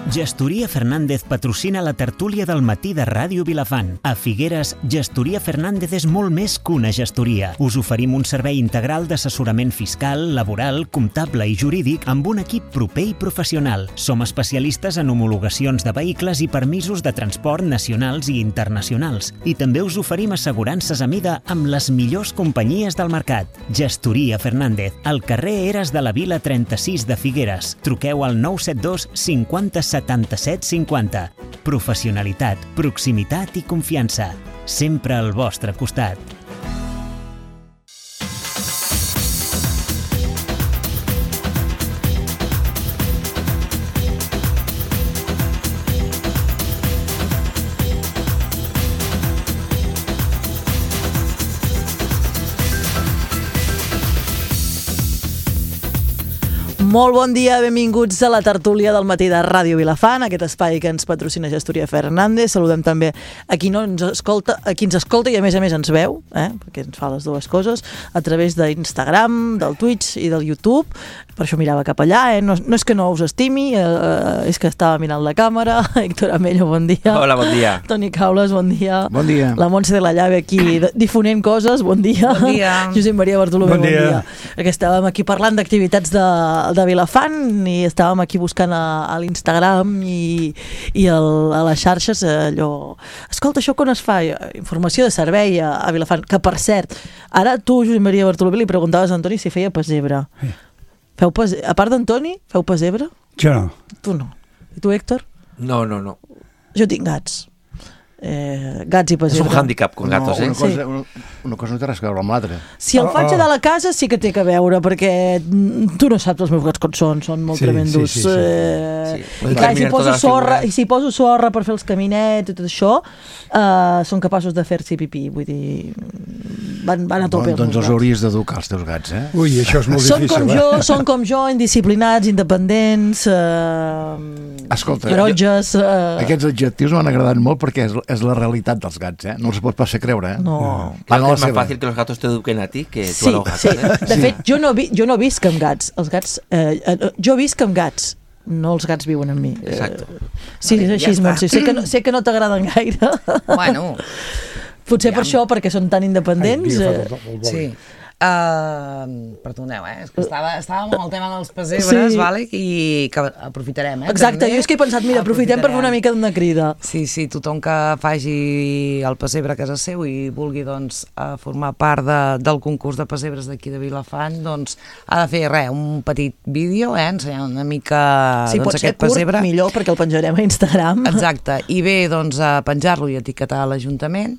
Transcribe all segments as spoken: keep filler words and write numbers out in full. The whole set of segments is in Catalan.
Gestoria Fernández patrocina la tertúlia del matí de Ràdio Vilafant. A Figueres, Gestoria Fernández és molt més que una gestoria. Us oferim un servei integral d'assessorament fiscal, laboral, comptable i jurídic amb un equip proper i professional. Som especialistes en homologacions de vehicles i permisos de transport nacionals i internacionals. I també us oferim assegurances a mida amb les millors companyies del mercat. Gestoria Fernández, al carrer Eres de la Vila trenta-sis de Figueres. Truqueu al nou set dos cinquanta setanta-set cinquanta. Professionalitat, proximitat i confiança. Sempre al vostre costat. Molt bon dia, benvinguts a la tertúlia del matí de Ràdio Vilafant, aquest espai que ens patrocina Gestoria Fernández. Saludem també a qui no ens escolta, a qui ens escolta i a més a més ens veu, eh? Perquè ens fa les dues coses, a través d'Instagram, del Twitch i del YouTube. Per això mirava cap allà, eh? no, no és que no us estimi, eh, és que estava mirant la càmera. Héctor Amello, bon dia. Hola, bon dia. Toni Caules, bon dia. Bon dia. La Montse de la Llave aquí difonent coses, bon dia. Bon dia. Josep Maria Bartolomé, bon dia. Bon dia. Perquè estàvem aquí parlant d'activitats de, de Vilafant i estàvem aquí buscant a, a l'Instagram i, i el, a les xarxes allò... Escolta, això quan es fa? Informació de servei a, a Vilafant, que per cert, ara tu, Josep Maria Bartolomé, li preguntaves a Antoni si feia pessebre. Sí. Feu pes... A part d'Antoni, feu pessebre? Jo no. Tu no. I tu, Héctor? No, no, no. Jo tinc gats. Eh, gats i pessebre. És un hàndicap con gatos, no, eh? una cosa, Sí. una, una cosa no té res a veure amb l'altra. Si el Oh, faig oh. de la casa sí que té que veure, perquè tu no saps els meus gats com són, són molt Sí, tremendos. sí, sí, sí. Eh, Sí. I clar, si Eliminar poso totes les sorra, figures. i si poso sorra per fer els caminets i tot això, eh, són capaços de fer-s'hi pipí, vull dir, van, van a tope. Bon, doncs meus els gats. hauries d'educar, els teus gats, eh? Ui, això és molt Són difícil, com eh? jo, són com jo, indisciplinats, independents, eh, Escolta, taronges... Eh, Aquests adjectius m'han agradat molt perquè és, és la realitat dels gats, eh? No els pots pas fer creure, eh? no... Claro, Van a la es más seva. fácil que los gatos te eduquen a ti que tú Sí, a los gatos, sí. ¿eh? De Sí. fet, jo no, vi, jo no visc amb gats. Els gats eh, eh, jo visc amb gats, no els gats viuen amb mi. Exacte. Eh, sí, és Ja així, està. Montse. Sé que no, sé que no t'agraden gaire. Bueno, Potser per Aviam. això, perquè són tan independents. Ai, Eh, tio, fa tot el boli. sí. Uh, perdoneu, eh? És que estava, estàvem amb el tema dels pessebres, Sí. vale? I que aprofitarem, eh? Exacte, també. jo és que he pensat, mira, aprofitem per fer una mica d'una crida. Sí, sí, tothom que faci el pessebre a casa seu i vulgui doncs, eh, formar part de, del concurs de pessebres d'aquí de Vilafant, doncs ha de fer res, un petit vídeo, eh? Ensenyant una mica Si doncs, pot ser aquest curt, pessebre. millor, perquè el penjarem a Instagram. Exacte, i bé doncs, a penjar-lo i etiquetar l'Ajuntament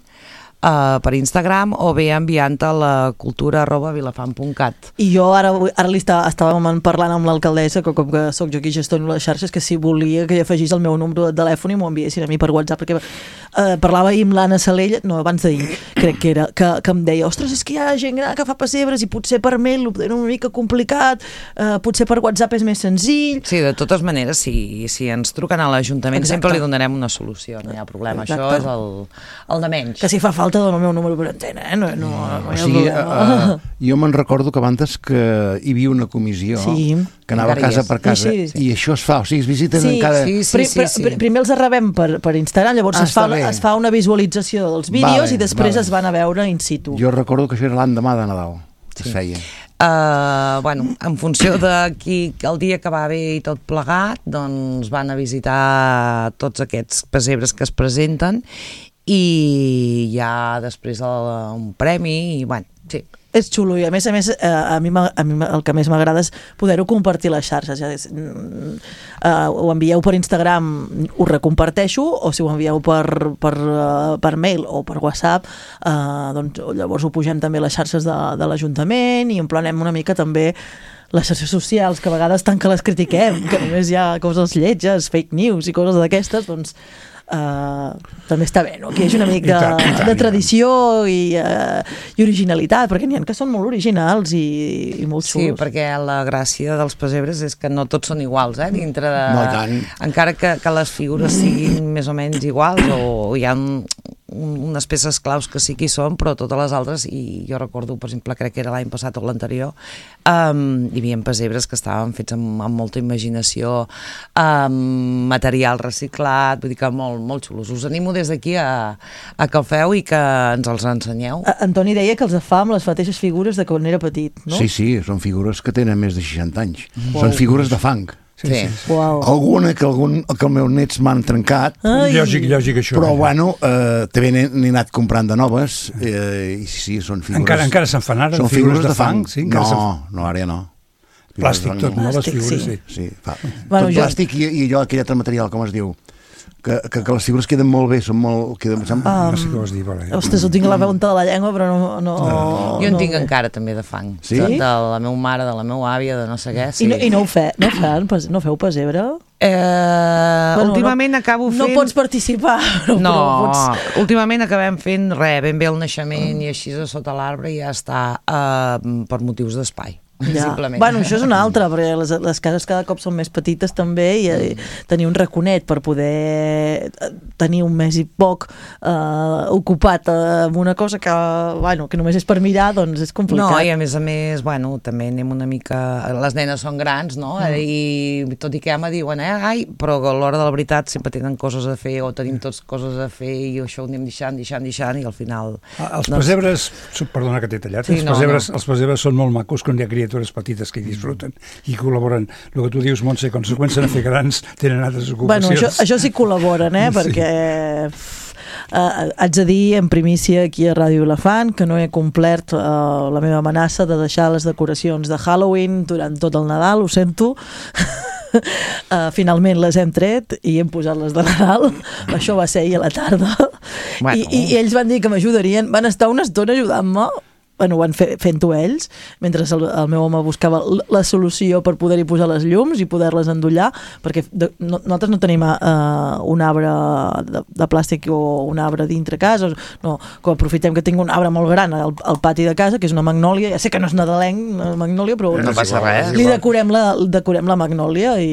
uh, per Instagram o bé enviant-te a la cultura arroba vilafant punt cat. I jo ara, ara li està, estàvem parlant amb l'alcaldessa, que com que sóc jo qui gestiono les xarxes, que si volia que hi afegís el meu número de telèfon i m'ho enviessin a mi per WhatsApp, perquè eh, parlava ahir amb l'Anna Salella, no, abans d'ahir, crec que era, que, que em deia, ostres, és que hi ha gent gran que fa pessebres i potser per mail ho tenen una mica complicat, eh, potser per WhatsApp és més senzill. Sí, de totes maneres, si, si ens truquen a l'Ajuntament Exacte. sempre li donarem una solució, no hi ha problema. Exacte. Això és el, el de menys. Que si fa falta dono el meu número per antena, eh? No, no, no O hi ha sigui, problema. uh, jo me'n recordo que abans que hi havia una comissió Sí. que anava Encara hi casa és. per casa Sí, sí. i això es fa, o sigui, es visiten Sí, en cada... sí, sí. Pri, pri, primer els rebem per, per Instagram, llavors Ah, es, fa, està bé. es fa una visualització dels vídeos Vale, i després vale. es van a veure in situ. Jo recordo que això era l'endemà de Nadal, que es feia. Uh, bueno, en funció de qui, el dia que va bé i tot plegat, doncs van a visitar tots aquests pessebres que es presenten i hi ha després el, un premi i bueno, sí. És xulo i a més a més eh, a mi, m'a- a mi m'a- el que més m'agrada és poder-ho compartir a les xarxes. Ja és, mm, eh, ho envieu per Instagram, ho recomparteixo, o si ho envieu per, per, eh, per mail o per WhatsApp, eh, doncs llavors ho pugem també a les xarxes de, de l'Ajuntament i emplenem una mica també les xarxes socials, que a vegades tant que les critiquem, que només hi ha coses lletges, fake news i coses d'aquestes, doncs Uh, també està bé, no? Que hi hagi una mica I tant, i tant, de i tradició i, uh, i originalitat, perquè n'hi ha que són molt originals i, i molt Sí, xulos. perquè la gràcia dels pessebres és que no tots són iguals, eh? Dintre de... No, i tant. Encara que, que les figures siguin més o menys iguals o hi ha un, un, unes peces claus que sí que hi són, però totes les altres, i jo recordo, per exemple, crec que era l'any passat o l'anterior, um, hi havia pesebres que estaven fets amb, amb molta imaginació, amb material reciclat, vull dir que molt, molt xulos. Us animo des d'aquí a, a que el feu i que ens els ensenyeu. A- Antoni deia que els fa amb les mateixes figures de quan era petit, no? Sí, sí, són figures que tenen més de seixanta anys. Són figures de fang. Sí, sí. Uau. Alguna que, algun, que els meus nets m'han trencat, Ai. Lògic, lògic, això. però eh? bueno, eh, també n'he n'he anat comprant de noves, eh, i sí, són figures... Encara, encara se'n fan ara, són figures de fang? Sí, encara no, se'n fan. no, ara ja no. Figures Plàstic de fang, tot, no? Les Plàstic, figures, sí. sí. Sí, fa. Bueno, Tot jo- plàstic i, i allò, aquell altre material, com es diu, que, que, que les figures queden molt bé, són molt... Queden, um, No sé què vols dir, vale. Ostres, ho tinc a la punta de la llengua, però no... no, Jo en no tinc ho- encara també de fang. Sí? De, de la meva mare, de la meva àvia, de no sé què. Sí. I no, i no ho fe, no, fan, pes- no feu pessebre? Eh, Bueno, últimament no, acabo fent... No pots participar, no, No, però pots... últimament acabem fent res, ben bé el naixement i així a sota l'arbre i ja està uh, per motius d'espai, Ja. simplement. Bueno, això és una altra, perquè les, les cases cada cop són més petites també i mm. tenir un raconet per poder tenir un mes i poc eh, ocupat amb una cosa que, bueno, que només és per mirar, doncs és complicat. No, i a més a més, bueno, també anem una mica... Les nenes són grans, no? Mm. I tot i que ja me diuen, eh, ai, però a l'hora de la veritat sempre tenen coses a fer o tenim tots coses a fer i això ho anem deixant, deixant, deixant i al final... Ah, Els pesebres, perdona que t'he tallat, Sí, els, no, pesebres, no. els pesebres són molt macos quan hi ha criatures petites que hi disfruten i col·laboren. El que tu dius, Montse, quan se comencen a fer grans tenen altres Bueno, ocupacions. això, això sí col·laboren, eh? Sí. Perquè uh, haig de dir en primícia aquí a Ràdio Vilafant que no he complert uh, la meva amenaça de deixar les decoracions de Halloween durant tot el Nadal, ho sento. Uh, finalment les hem tret i hem posat les de Nadal. Això va ser ahir a la tarda. Bueno. I, i, I ells van dir que m'ajudarien, van estar una estona ajudant-me. Bueno, ho van fe, fent-ho ells, mentre el, el meu home buscava l- la solució per poder-hi posar les llums i poder-les endollar, perquè de, no, nosaltres no tenim uh, un arbre de, de plàstic o un arbre dintre casa, no, que aprofitem que tinc un arbre molt gran al, al pati de casa, que és una magnòlia, ja sé que no és nadalenc, una magnòlia, però No passa res. li decorem la, decorem la magnòlia i,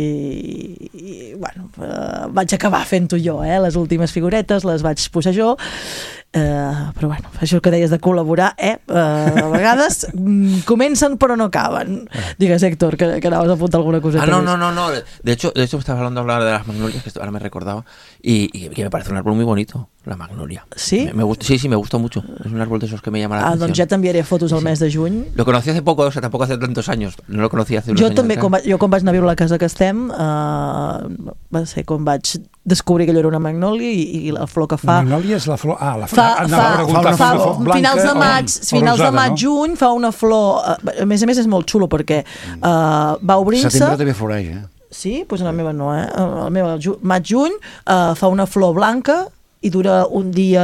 i bueno, uh, vaig acabar fent-ho jo, eh? Les últimes figuretes les vaig posar jo. Uh, però bueno, això que deies de col·laborar, eh? Uh, a vegades mm, comencen però no acaben. Digues, Héctor, que, que anaves a apuntar alguna cosa. Ah, no, no, no, no. De hecho, de hecho, estabas hablando de hablar de las magnolias, que esto ahora me recordaba, y, y que me parece un árbol muy bonito, la magnolia. ¿Sí? Me, me gusta, sí, sí, me gusta mucho. Es un árbol de esos que me llama la Ah, atención. doncs ja t'enviaré fotos al Sí, mes de juny. Lo conocí hace poco, o sea, tampoco hace tantos años. No lo conocí hace unos Jo años. també, atrás. quan va, jo quan vaig anar a viure a la casa que estem, uh, va ser quan vaig descobrir que allò era una magnòlia i, i la flor que fa... La magnòlia és la flor... Ah, la flor... Fa, anava fa, a preguntar, fa, una flor blanca finals de o- maig, o finals rosada, de maig, no? juny, fa una flor... eh, A més a més és molt xulo perquè uh, va obrint-se... Setembre també floreix, eh? Sí? Doncs pues la meva no, eh? La meva ju maig-juny uh, fa una flor blanca i dura un dia,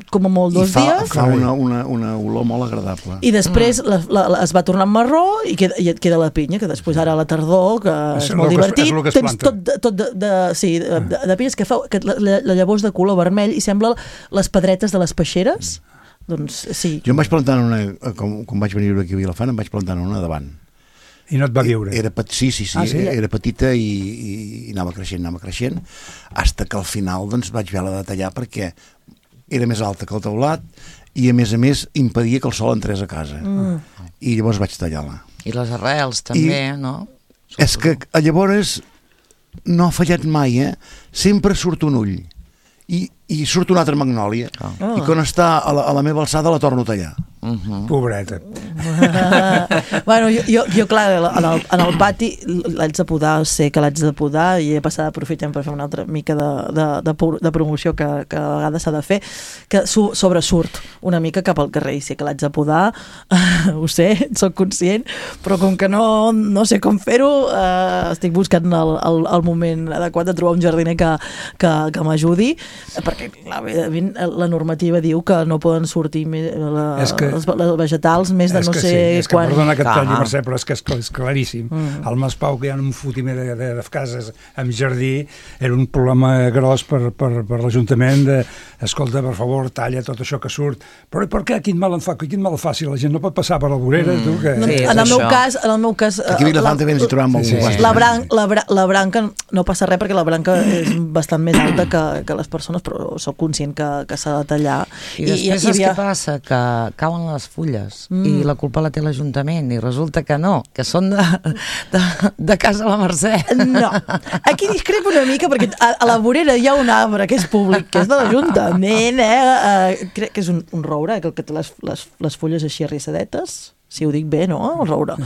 com a molt, dos I fa, dies. fa una, una, una olor molt agradable. I després la, la, la, es va tornar marró i, queda, i et queda la pinya, que després ara a la tardor, que és, És molt el que es- divertit, és el que es tens planta. tot, de, tot de, de, sí, de, de, de pinyes que fa que la, la, la llavors de color vermell i sembla les pedretes de les peixeres. Doncs sí. Jo em vaig plantar en una, com, com vaig venir aquí a Vilafant, em vaig plantar en una davant. I no et va viure. Era, pet- sí, sí, sí, Ah, sí? era petita i, i, i anava creixent, anava creixent, hasta que al final doncs, vaig haver-la de tallar perquè era més alta que el teulat i a més a més impedia que el sol entrés a casa. Mm. I llavors vaig tallar-la. I les arrels també, I- no? És que llavors no ha fallat mai, eh? Sempre surt un ull i, i surt una altra magnòlia Ah. i quan està a la, a la meva alçada la torno a tallar. Uh -huh. Pobreta. Bueno, jo, jo, jo clar, en el, en el pati l'haig de podar, sé que l'haig de podar i he passat aprofitem per fer una altra mica de, de, de, pu- de promoció que, que a vegades s'ha de fer, que su, sobresurt una mica cap al carrer i sé que l'haig de podar, ho sé, sóc conscient, però com que no, no sé com fer-ho, eh, estic buscant el, el, el moment adequat de trobar un jardiner que, que, que m'ajudi, perquè clar, evidentment, la normativa diu que no poden sortir més, la, És que- els, els vegetals més de és no que sé sí, és que quan... perdona que et Clar. talli, Mercè, però és que és, és claríssim. Mm. Al Maspau, que hi ha un fotimer de, de, de cases amb jardí, era un problema gros per, per, per l'Ajuntament de, escolta, per favor, talla tot això que surt. Però per què? Quin mal en fa? Quin mal fa si la gent no pot passar per la vorera? Mm. Tu, que... Sí, en, el meu això. cas, en el meu cas... Aquí a Vilafant també ens hi trobem molt. Sí, sí. La, bran la, bra la branca no passa res perquè la branca és bastant més alta que, que les persones, però sóc conscient que, que s'ha de tallar. I després saps havia... què passa? Que cauen les fulles mm. i la culpa la té l'Ajuntament i resulta que no, que són de, de, de casa la Mercè. No, aquí discrepo una mica perquè a, a la vorera hi ha un arbre que és públic, que és de l'Ajuntament, eh? Uh, crec que és un, un roure, que té les, les, les fulles així arrissadetes, si ho dic bé, no? El roure.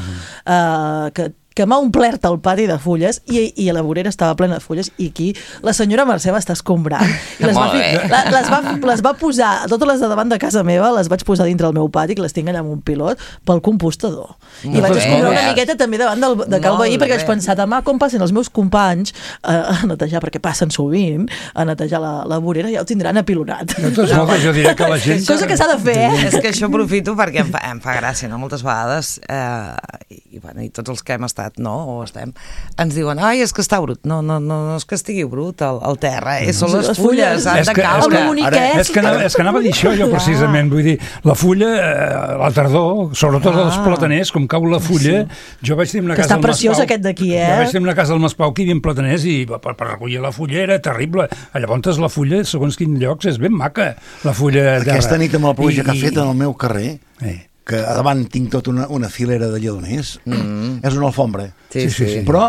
Uh, que que m'ha omplert el pati de fulles i, i la vorera estava plena de fulles i aquí la senyora Mercè va estar escombrant i les va, fi, la, les, va, les va posar, totes les de davant de casa meva les vaig posar dintre el meu pati, que les tinc allà amb un pilot, pel compostador. I Molt vaig bé. escombrar una miqueta també davant del, de cal Molt veí perquè bé. vaig pensar, demà com passen els meus companys a, a netejar, perquè passen sovint a netejar la, la vorera, ja ho tindran apilonat. De tots modos, jo diria que la gent... Cosa que s'ha de fer, eh? És que això aprofito perquè em fa, em fa gràcia, no? Moltes vegades, eh, i, bueno, i tots els que hem estat, no? O estem, ens diuen, ai, és que està brut. No, no, no, no és que estigui brut el, el terra, eh? Són les, Les fulles, fulles. han És de que- caure. El meu boniquet. És que, anava, és que anava a dir això jo precisament, vull dir, la fulla, eh, la tardor, sobretot ah. als plataners, com cau la fulla, sí. jo vaig tenir una Que casa està al preciós Maspau, aquest d'aquí, eh? Jo vaig tenir una casa al Maspau que hi havia plataners i per, per recollir la fulla era terrible. Llavors la fulla, segons quins llocs, és ben maca, la fulla de... Aquesta nit amb la pluja que ha fet en el meu carrer, Eh. que a davant tinc tota una, una filera de lledoners, mm. és una alfombra. Sí, sí, sí. Però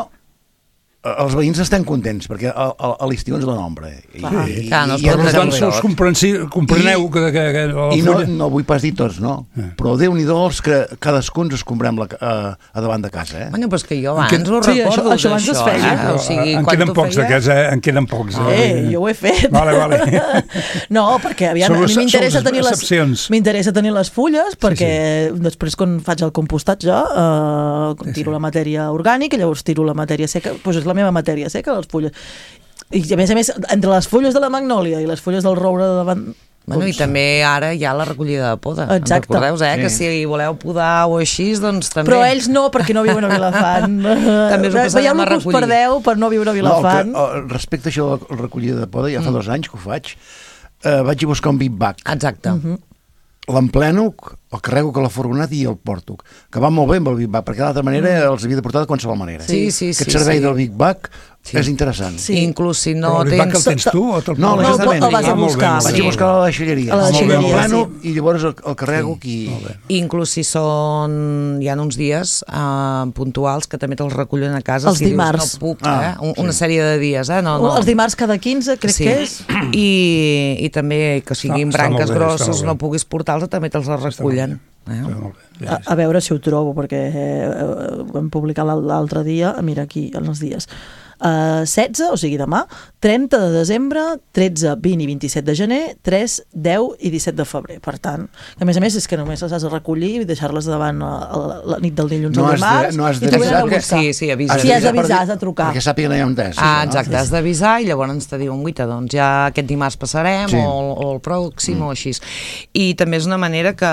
eh, els veïns estan contents, perquè a, a, a l'estiu ens dona ombra. I, Clar, clar, no es i, pot i, Per posar tant, us comprensi, compreneu I- que, que, que la i no, fulla... no vull pas dir tots, no? Eh. Però Déu-n'hi-do els que cadascun ens escombrem la, a, a davant de casa, eh? Bueno, però és que jo En abans què- ho Sí, recordo, això- això abans es feia. eh? O sigui, en quan queden tu pocs feies- d'aquests, eh? En queden pocs. Eh, jo ho he fet. Vale, vale. No, perquè aviam, Són a mi les- m'interessa són les tenir les excepcions. m'interessa tenir les fulles perquè sí, sí. després quan faig el compostatge eh, Sí, tiro sí. la matèria orgànica i llavors tiro la matèria seca, doncs és la meva matèria seca, les fulles. I a més a més, entre les fulles de la magnòlia i les fulles del roure de davant... Bueno, i doncs, també ara hi ha la recollida de poda. Exacte. Em recordeu, eh? Sí. Que si voleu podar o així, doncs també... però ells no, perquè no viuen a Vilafant. També us ho passarem Veieu a el que us recollir. perdeu per no viure a No, Vilafant. el que, el, respecte a això de la recollida de poda, ja fa mm. dos anys que ho faig, eh, vaig a buscar un big bag. Exacte. Mhm. L'empleno, el carrego que la furgoneta i el porto, que va molt bé amb el Big Bag, perquè d'altra manera mm. els havia de portar de qualsevol manera. Sí, sí, Aquest sí, servei sí. del Big Bag Sí. és interessant. Sí. I inclús si no Però el Big Bag tens... el tens tu o te'l No, poses? No, l'Ajuntament. el vas a Ah, molt bé, buscar. molt Vaig bé. a buscar a la deixalleria. A la deixalleria, L'empleno sí. i llavors el, el carrego aquí. Inclús si són... Hi ha uns dies uh, puntuals que també te'ls recullen a casa. Els si dimarts. Dius, no puc, Ah, eh? Un, una sí. sèrie de dies, eh? No, no. Els dimarts cada quinze, crec Sí. que és. I, I també que siguin Està- està molt branques bé, està grosses, molt bé. no puguis portar-los, també te'ls les recullen. Eh? Està molt bé. A, a veure si ho trobo, perquè eh, ho vam publicar l'al- l'altre dia, mira aquí, en els dies. Uh, setze, o sigui demà, trenta de desembre, tretze, vint i vint-i-set de gener, tres, deu i disset de febrer. Per tant, a més a més és que només les has de recollir i deixar-les davant a, a la, la nit del dilluns No al has de- dimarts no has i t'ho venen a d'avisar buscar. Sí, sí, avisa. Si has per d'avisar, dir- has de trucar. Perquè sàpiguen allà on és. Ah, exacte, has d'avisar i llavors te diuen, guita, doncs ja aquest dimarts passarem Sí. o, o el pròxim mm. o així. I també és una manera que,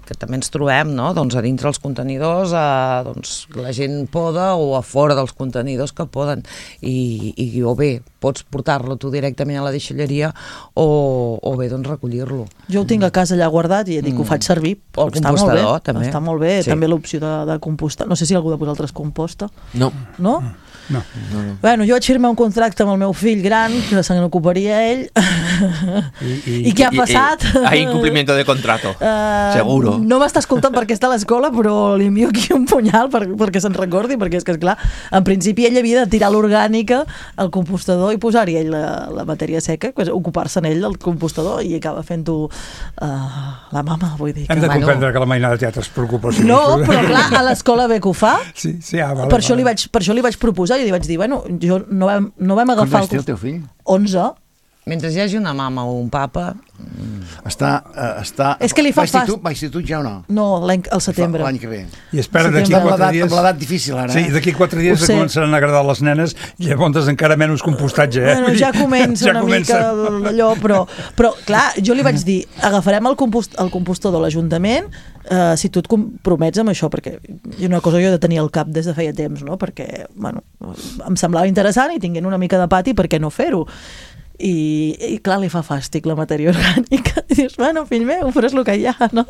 que també ens trobem, no? Doncs a dintre els contenidors, a, doncs, la gent poda o a fora dels contenidors que poden i, i o bé pots portar-lo tu directament a la deixalleria o, o bé doncs recollir-lo. Jo ho tinc a casa allà guardat i ja dic que ho faig servir. O el Està molt bé, compostador, també. Està molt bé, Sí. també l'opció de, de compostar. No sé si algú de vosaltres composta. No. No? No. Bueno, jo vaig firmar un contracte amb el meu fill gran, que se n'ocuparia ell. I, i, I què ha passat? Y- y hay incumplimiento de contrato. Uh, Seguro. No m'està escoltant perquè està a l'escola, però li envio aquí un punyal per, perquè se'n recordi, perquè és que, esclar, en principi ell havia de tirar l'orgànica al compostador i posar-hi ell la, la matèria seca, pues, ocupar-se en ell del compostador i acaba fent-ho uh, la mama, vull dir. Que... Hem de Bueno. comprendre que la mainada de teatre es preocupa. Sí. No, però clar, a l'escola bé que ho fa. Sí, sí, ah, vale, Per això, li vale. vaig, per això li vaig proposar i li vaig dir, bueno, jo no vam, no vam Com agafar vaig dir el teu fill? onze. Mentre hi hagi una mama o un papa... Està, uh, està... És que li fa fast. Va institut ja o no? No, l'any, al setembre. L'any que ve. I espera d'aquí Setembre. quatre dies... Amb l'edat difícil, ara, Sí, eh? d'aquí quatre dies Ho sé. començaran a agradar les nenes i llavors encara menys compostatge, eh? Bueno, ja comença Ja una comença. mica d'allò, però, però clar, jo li vaig dir, agafarem el, compost, el compostador de l'Ajuntament eh, si tu et compromets amb això, perquè és una cosa que jo he de tenir al cap des de feia temps, no? Perquè, bueno, em semblava interessant i tinguent una mica de pati, per què no fer-ho? I, i clar, li fa fàstic la matèria orgànica. I dius, bueno, fill meu, però és el que hi ha, no?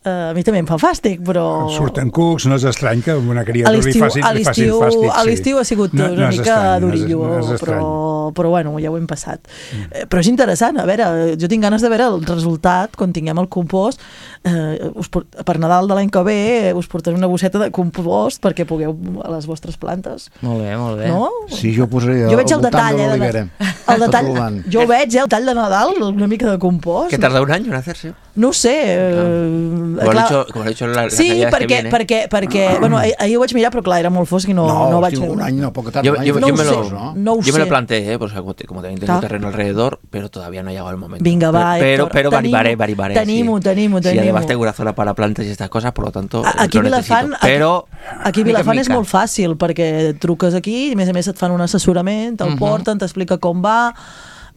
Uh, a mi també em fa fàstic, però... Surten cucs, no és estrany que una criatura li l'estiu facin, a li facin l'estiu fàstic. a l'estiu ha sigut No- una no és mica estrany, no és- durillo, no és estrany. però, però bueno, ja ho hem passat. Mm. Eh, però és interessant, a veure, jo tinc ganes de veure el resultat quan tinguem el compost. Eh, us, por- per Nadal de l'any que ve eh, us portaré una bosseta de compost perquè pugueu a les vostres plantes. Molt bé, molt bé. No? Sí, jo posaré Jo veig al el voltant detall, de eh, de- l'olivera. el detall, Tot l'any. jo ho veig, eh, el tall de Nadal, una mica de compost. Que tarda un año en hacerse. No ho sé. Eh, Como, clar- lo he dicho, como lo he dicho la, las Sí, navidades que perquè, viene. perquè, perquè bueno, ahir, ahir ho vaig mirar, però clar, era molt fosc i no, No, no vaig hosti, veure. un any no, poc tard. Yo, un any yo, No yo ho me sé, lo, ¿no? no ho yo me sé. lo planteé, ¿eh? Pues, como te- como también tengo Clar. terreno alrededor, pero todavía no ha llegado el momento. Vinga, va, pero, Héctor, pero tenim-ho, varibaré, varibaré. tenim-ho, sí. tenim-ho, Sí, tenim-ho. además tengo una zona para plantas y estas cosas, por lo tanto, A- Aquí a lo Vilafant, necesito. Pero, aquí a mica en Vilafant és mica. molt fàcil perquè truques aquí i a més a més et fan un assessorament, te'l Mhm. porten, t'explica com va,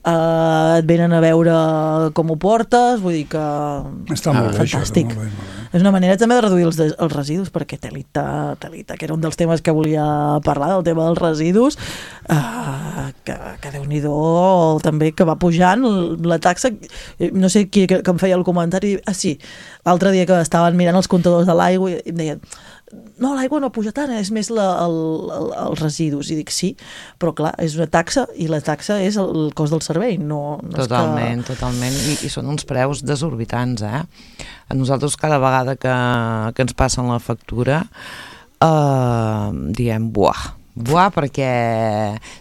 eh, et venen a veure com ho portes, vull dir que Està molt bé, això. fantàstic. Molt bé, molt bé. És una manera també de reduir els, de, els residus, perquè telita, telita, que era un dels temes que volia parlar, del tema dels residus, eh, que, que Déu-n'hi-do també, que va pujant la taxa, eh, no sé qui que, que em feia el comentari, ah sí, l'altre dia que estaven mirant els comptadors de l'aigua i em deien, no, l'aigua no puja tant, és més la, el, el, els residus, i dic sí, però clar, és una taxa i la taxa és el cost del servei, no, no Totalment, és que... totalment, I, i són uns preus desorbitants, eh? A nosaltres cada vegada que, que ens passen la factura eh, diem, buah, buah, perquè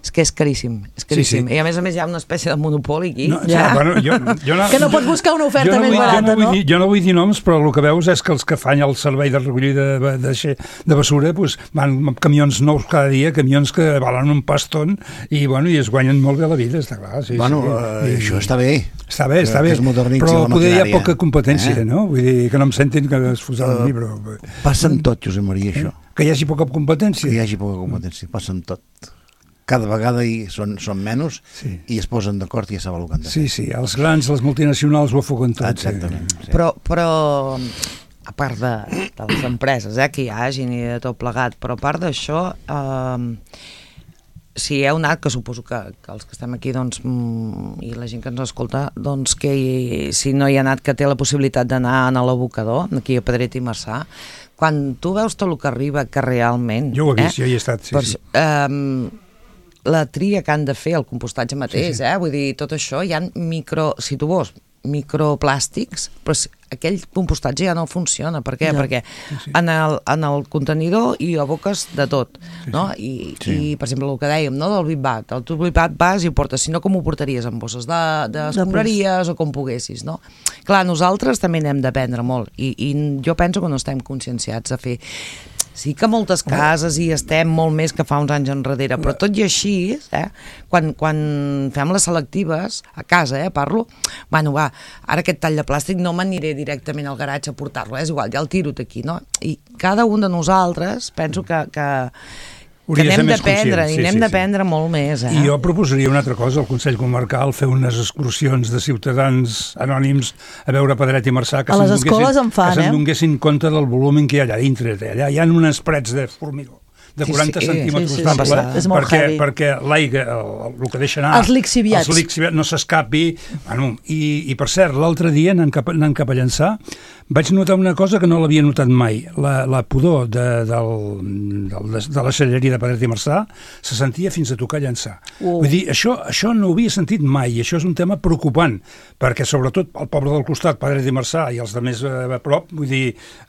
és que és caríssim, és caríssim. Sí, sí. I a més a més hi ha una espècie de monopoli aquí. No, Ja. ja. Bueno, jo, jo no, Que no pots buscar una oferta jo no més vull, barata, jo no? Vull no? dir, jo no vull dir noms, però el que veus és que els que fan el servei de recollida de, de, de, de basura pues, van amb camions nous cada dia, camions que valen un paston i, bueno, i es guanyen molt bé la vida, està clar. Sí, Bueno, sí. eh, I- això està bé. Està bé, està que bé, es modernitzi però la poder hi ha maquinària. poca competència, Eh? no? Vull dir, que no em sentin que es fosar uh, mi, però... Passa en tot, Josep Maria, això. Que hi hagi poca competència. Que hi hagi poca competència, passa en tot. Cada vegada hi són, són menys Sí. i es posen d'acord i ja saben el que han de fer. Sí, sí, els grans, les multinacionals ho afoguen tot. Exactament. Sí. Però, però a part de, de les empreses eh, que hi hagin i de tot plegat, però a part d'això, eh, si heu anat, que suposo que, que els que estem aquí doncs, mm, i la gent que ens escolta, doncs que hi, si no hi ha anat, que té la possibilitat d'anar a l'abocador, aquí a Pedret i Marçà, quan tu veus tot el que arriba, que realment... Jo ho he vist, eh, jo hi he estat, sí, per, sí. Eh, la tria que han de fer, el compostatge mateix, Sí, sí. eh? Vull dir, tot això, hi ha micro, si tu vols, microplàstics, però si- aquell compostatge ja no funciona. Per què? Ja. Perquè sí. en el, en el contenidor hi aboques de tot, no? I, Sí. i, per exemple, el que dèiem, no? Del Bitbat, el tu Bitbat vas i ho portes, si no, com ho portaries? En bosses de, de escombraries o com poguessis, no? Clar, nosaltres també n'hem d'aprendre molt i, i jo penso que no estem conscienciats a fer. Sí que moltes cases hi estem molt més que fa uns anys enrere, però tot i així, eh, quan, quan fem les selectives, a casa, eh, parlo, bueno, va, ara aquest tall de plàstic no m'aniré directament al garatge a portar-lo, eh, és igual, ja el tiro aquí, no? I cada un de nosaltres penso que, que, que Hauria de ser n'hem més d'aprendre, conscient, i sí, n'hem sí, sí. d'aprendre molt més, eh? I jo proposaria una altra cosa, el Consell Comarcal, fer unes excursions de ciutadans anònims a veure Pedret i Marçà, que A les se'n escoles donguessin- en fan, que se'n eh? donguessin compte del volum que hi ha allà dintre. Allà hi ha uns parets de formigó de Sí, quaranta sí, centímetres sí, sí, d'ample, sí, és molt perquè, heavy. perquè l'aigua, el, el que deixa anar... Els lixiviats. Els lixiviats no s'escapi. Bueno, i, I, per cert, l'altre dia, anant cap, anant cap a Llançà, vaig notar una cosa que no l'havia notat mai. La, la pudor de, del, del, de la celleria de Pedret i Marçà se sentia fins a tocar Llançà. Uh. Vull dir, això, això no ho havia sentit mai, i això és un tema preocupant, perquè sobretot el poble del costat, Pedret i Marçà, i els de més a, a prop, vull dir,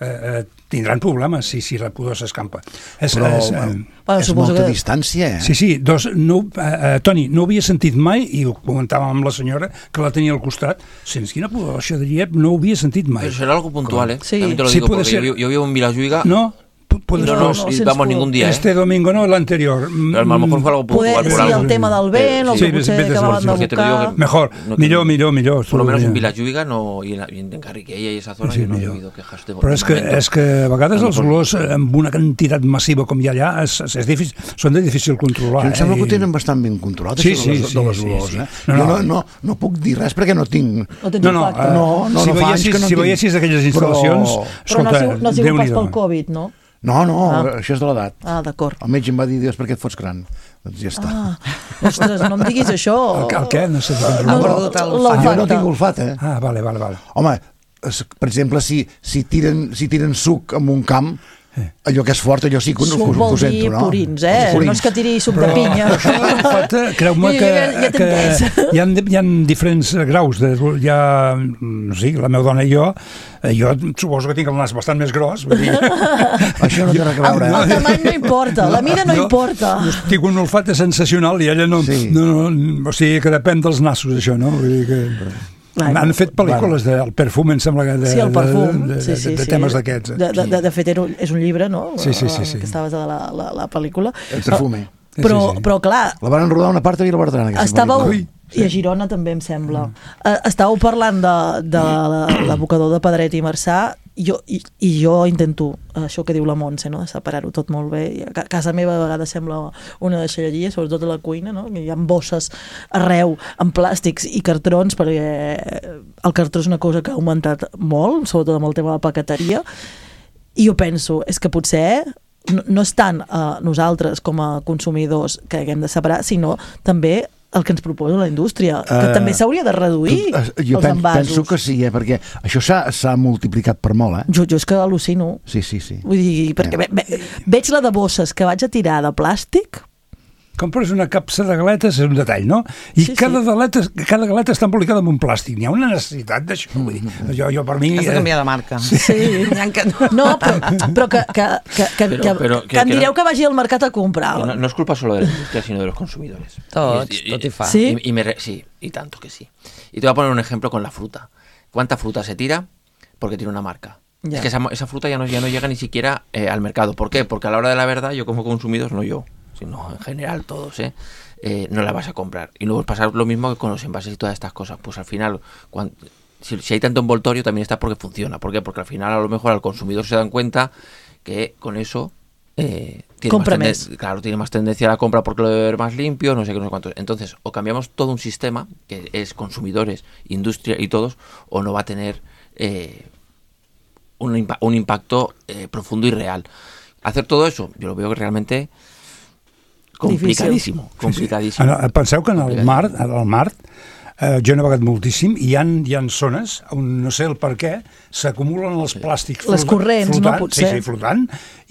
eh, eh, tindran problemes si, si la pudor s'escampa. És, Però és, bueno, eh, Bueno, és suposo molta que- distància, eh? Sí, sí, dos, no, eh, eh, Toni, no ho havia sentit mai, i ho comentàvem amb la senyora, que la tenia al costat, sense quina pudor, això de Lliep no ho havia sentit mai. Pero será algo puntual, ¿eh? Sí. También te lo Sí, digo, puede porque ser. yo, yo vivo en Vilajuiga. No? puedes no, no, no, y sense vamos por- ningún día, este ¿eh? domingo no, el anterior. Pero a lo mejor fue algo Poder, puntual por sí, algo. el tema del vent, o Sí, que potser vés- vés a acabaven de saber, porque te digo buscar... que- Mejor, No, millor, que- millor, millor. Por lo menos en Millor. Vilajuiga no, i, en, i en Carriquella i esa zona Sí, sí, no he millor. oído quejas de Però és que, momento. és que a vegades A lo els mejor- olors eh, amb una quantitat massiva com hi ha allà és, és difícil, són de difícil controlar. Sí, em sembla eh? que ho tenen bastant ben controlat, Sí, això de les, sí, sí, de les sí, olors. sí. Eh? No, Jo no. no, no, no puc dir res perquè no tinc... No tens No, no, impacte. eh, No, no, si no fa anys veiessis, que no si en tinc. veiessis aquelles Però- instal·lacions, Però no ha escolta, sigut, no ha sigut pas Déu-n'hi-do. pel Covid, no? No, no, Ah. això és de l'edat. Ah, d'acord. El metge em va dir, Dios, per què et fots gran? Doncs ja està. Ah, ostres, no em diguis això. El, el què? No sé. Ha No, perdut el l'olfacte. olfacte. Jo no tinc olfat, eh? Ah, vale, vale, vale. Home, es- per exemple, si, si, tiren, si tiren suc en un camp, allò que és fort, allò sí que ho, Suc ho, vol ho sento, dir no? purins, eh? Purins. No és que tiri suc de pinya. Això de l'olfacte, creu-me Ja- que, ja- ja que t'entens. hi, ha, hi ha diferents graus. De, hi ha, no sé, la meva dona i jo, eh, jo suposo que tinc el nas bastant més gros. Vull dir, Això no té res a veure, El eh? tamany no importa, la mida no jo- importa. jo tinc un olfacte sensacional i ella no, Sí. no, no... O sigui, que depèn dels nassos, això, no? Vull dir que... Bueno, Han fet pel·lícules del perfume, em sembla que de, Sí, el perfum. de, de, sí, sí, de, de sí. temes d'aquests. eh? De, de, de, de fet, era un, és un llibre, no? Sí, sí, sí, sí. Que estaves de la, la, la pel·lícula. El perfume. Sí, Però, sí, sí. però clar, La van rodar una part a Vilabertran, aquesta estàveu... pel·lícula. I a Girona també, em sembla. Uh, estàveu parlant de, de la- l'abocador de Pedret i Marçà, i jo, i, i jo intento, això que diu la Montse, no? De separar-ho tot molt bé. I a casa meva a vegades sembla una deixalleria, sobretot a la cuina, no? Hi ha bosses arreu, amb plàstics i cartrons, perquè el cartró és una cosa que ha augmentat molt, sobretot amb el tema de la paqueteria, i jo penso, és que potser no, no és tant a nosaltres com a consumidors que haguem de separar, sinó també el que ens proposa la indústria, que Eh, també s'hauria de reduir Tu- eh, jo els pen, envasos. penso que sí, eh? Perquè això s'ha s'ha multiplicat per molt, eh? Jo, jo és que al·lucino. Sí, sí, sí. Vull dir, perquè ve, ve, veig la de bosses que vaig a tirar de plàstic. Compres una capsa de galetes, és un detall, no? I Sí, cada, sí. galeta, cada galeta està embolicada amb un plàstic. N'hi ha una necessitat d'això. Vull dir, jo, jo per mi... Has de eh, canviar de marca. Sí. N'hi ha que no. No, però, però que, que, que, que, Però- que, però que, que- em que direu no- que vagi al mercat a comprar. No, no es culpa solo de la industria, sino de los consumidores. Tots, Y- y- tot hi fa. Sí. Y, y me re- sí, y tanto que sí. Y te voy a poner un ejemplo con la fruta. ¿Cuánta fruta se tira? Porque tiene una marca. Ya. Es que esa, esa fruta ya no, ya no llega ni siquiera eh, al mercado. ¿Por qué? Porque a la hora de la verdad, yo como consumidor, no yo, sino en general todos, ¿eh? Eh, no la vas a comprar. Y luego pasa lo mismo que con los envases y todas estas cosas. Pues al final, cuan- si, si hay tanto envoltorio, también está porque funciona. ¿Por qué? Porque al final, a lo mejor, al consumidor se dan cuenta que con eso eh, tiene, Compra más más. tenden- claro, tiene más tendencia a la compra porque lo debe ver más limpio, no sé qué, no sé cuánto. Entonces, o cambiamos todo un sistema, que es consumidores, industria y todos, o no va a tener eh, un, impa- un impacto eh, profundo y real. Hacer todo eso, yo lo veo que realmente complicadísimo, complicadísimo. En el- Penseu que en el mar, al mar eh, jo he navegat moltíssim i hi ha, hi ha zones on no sé el per què s'acumulen els plàstics Les corrents, no? Potser. Sí, sí, flotant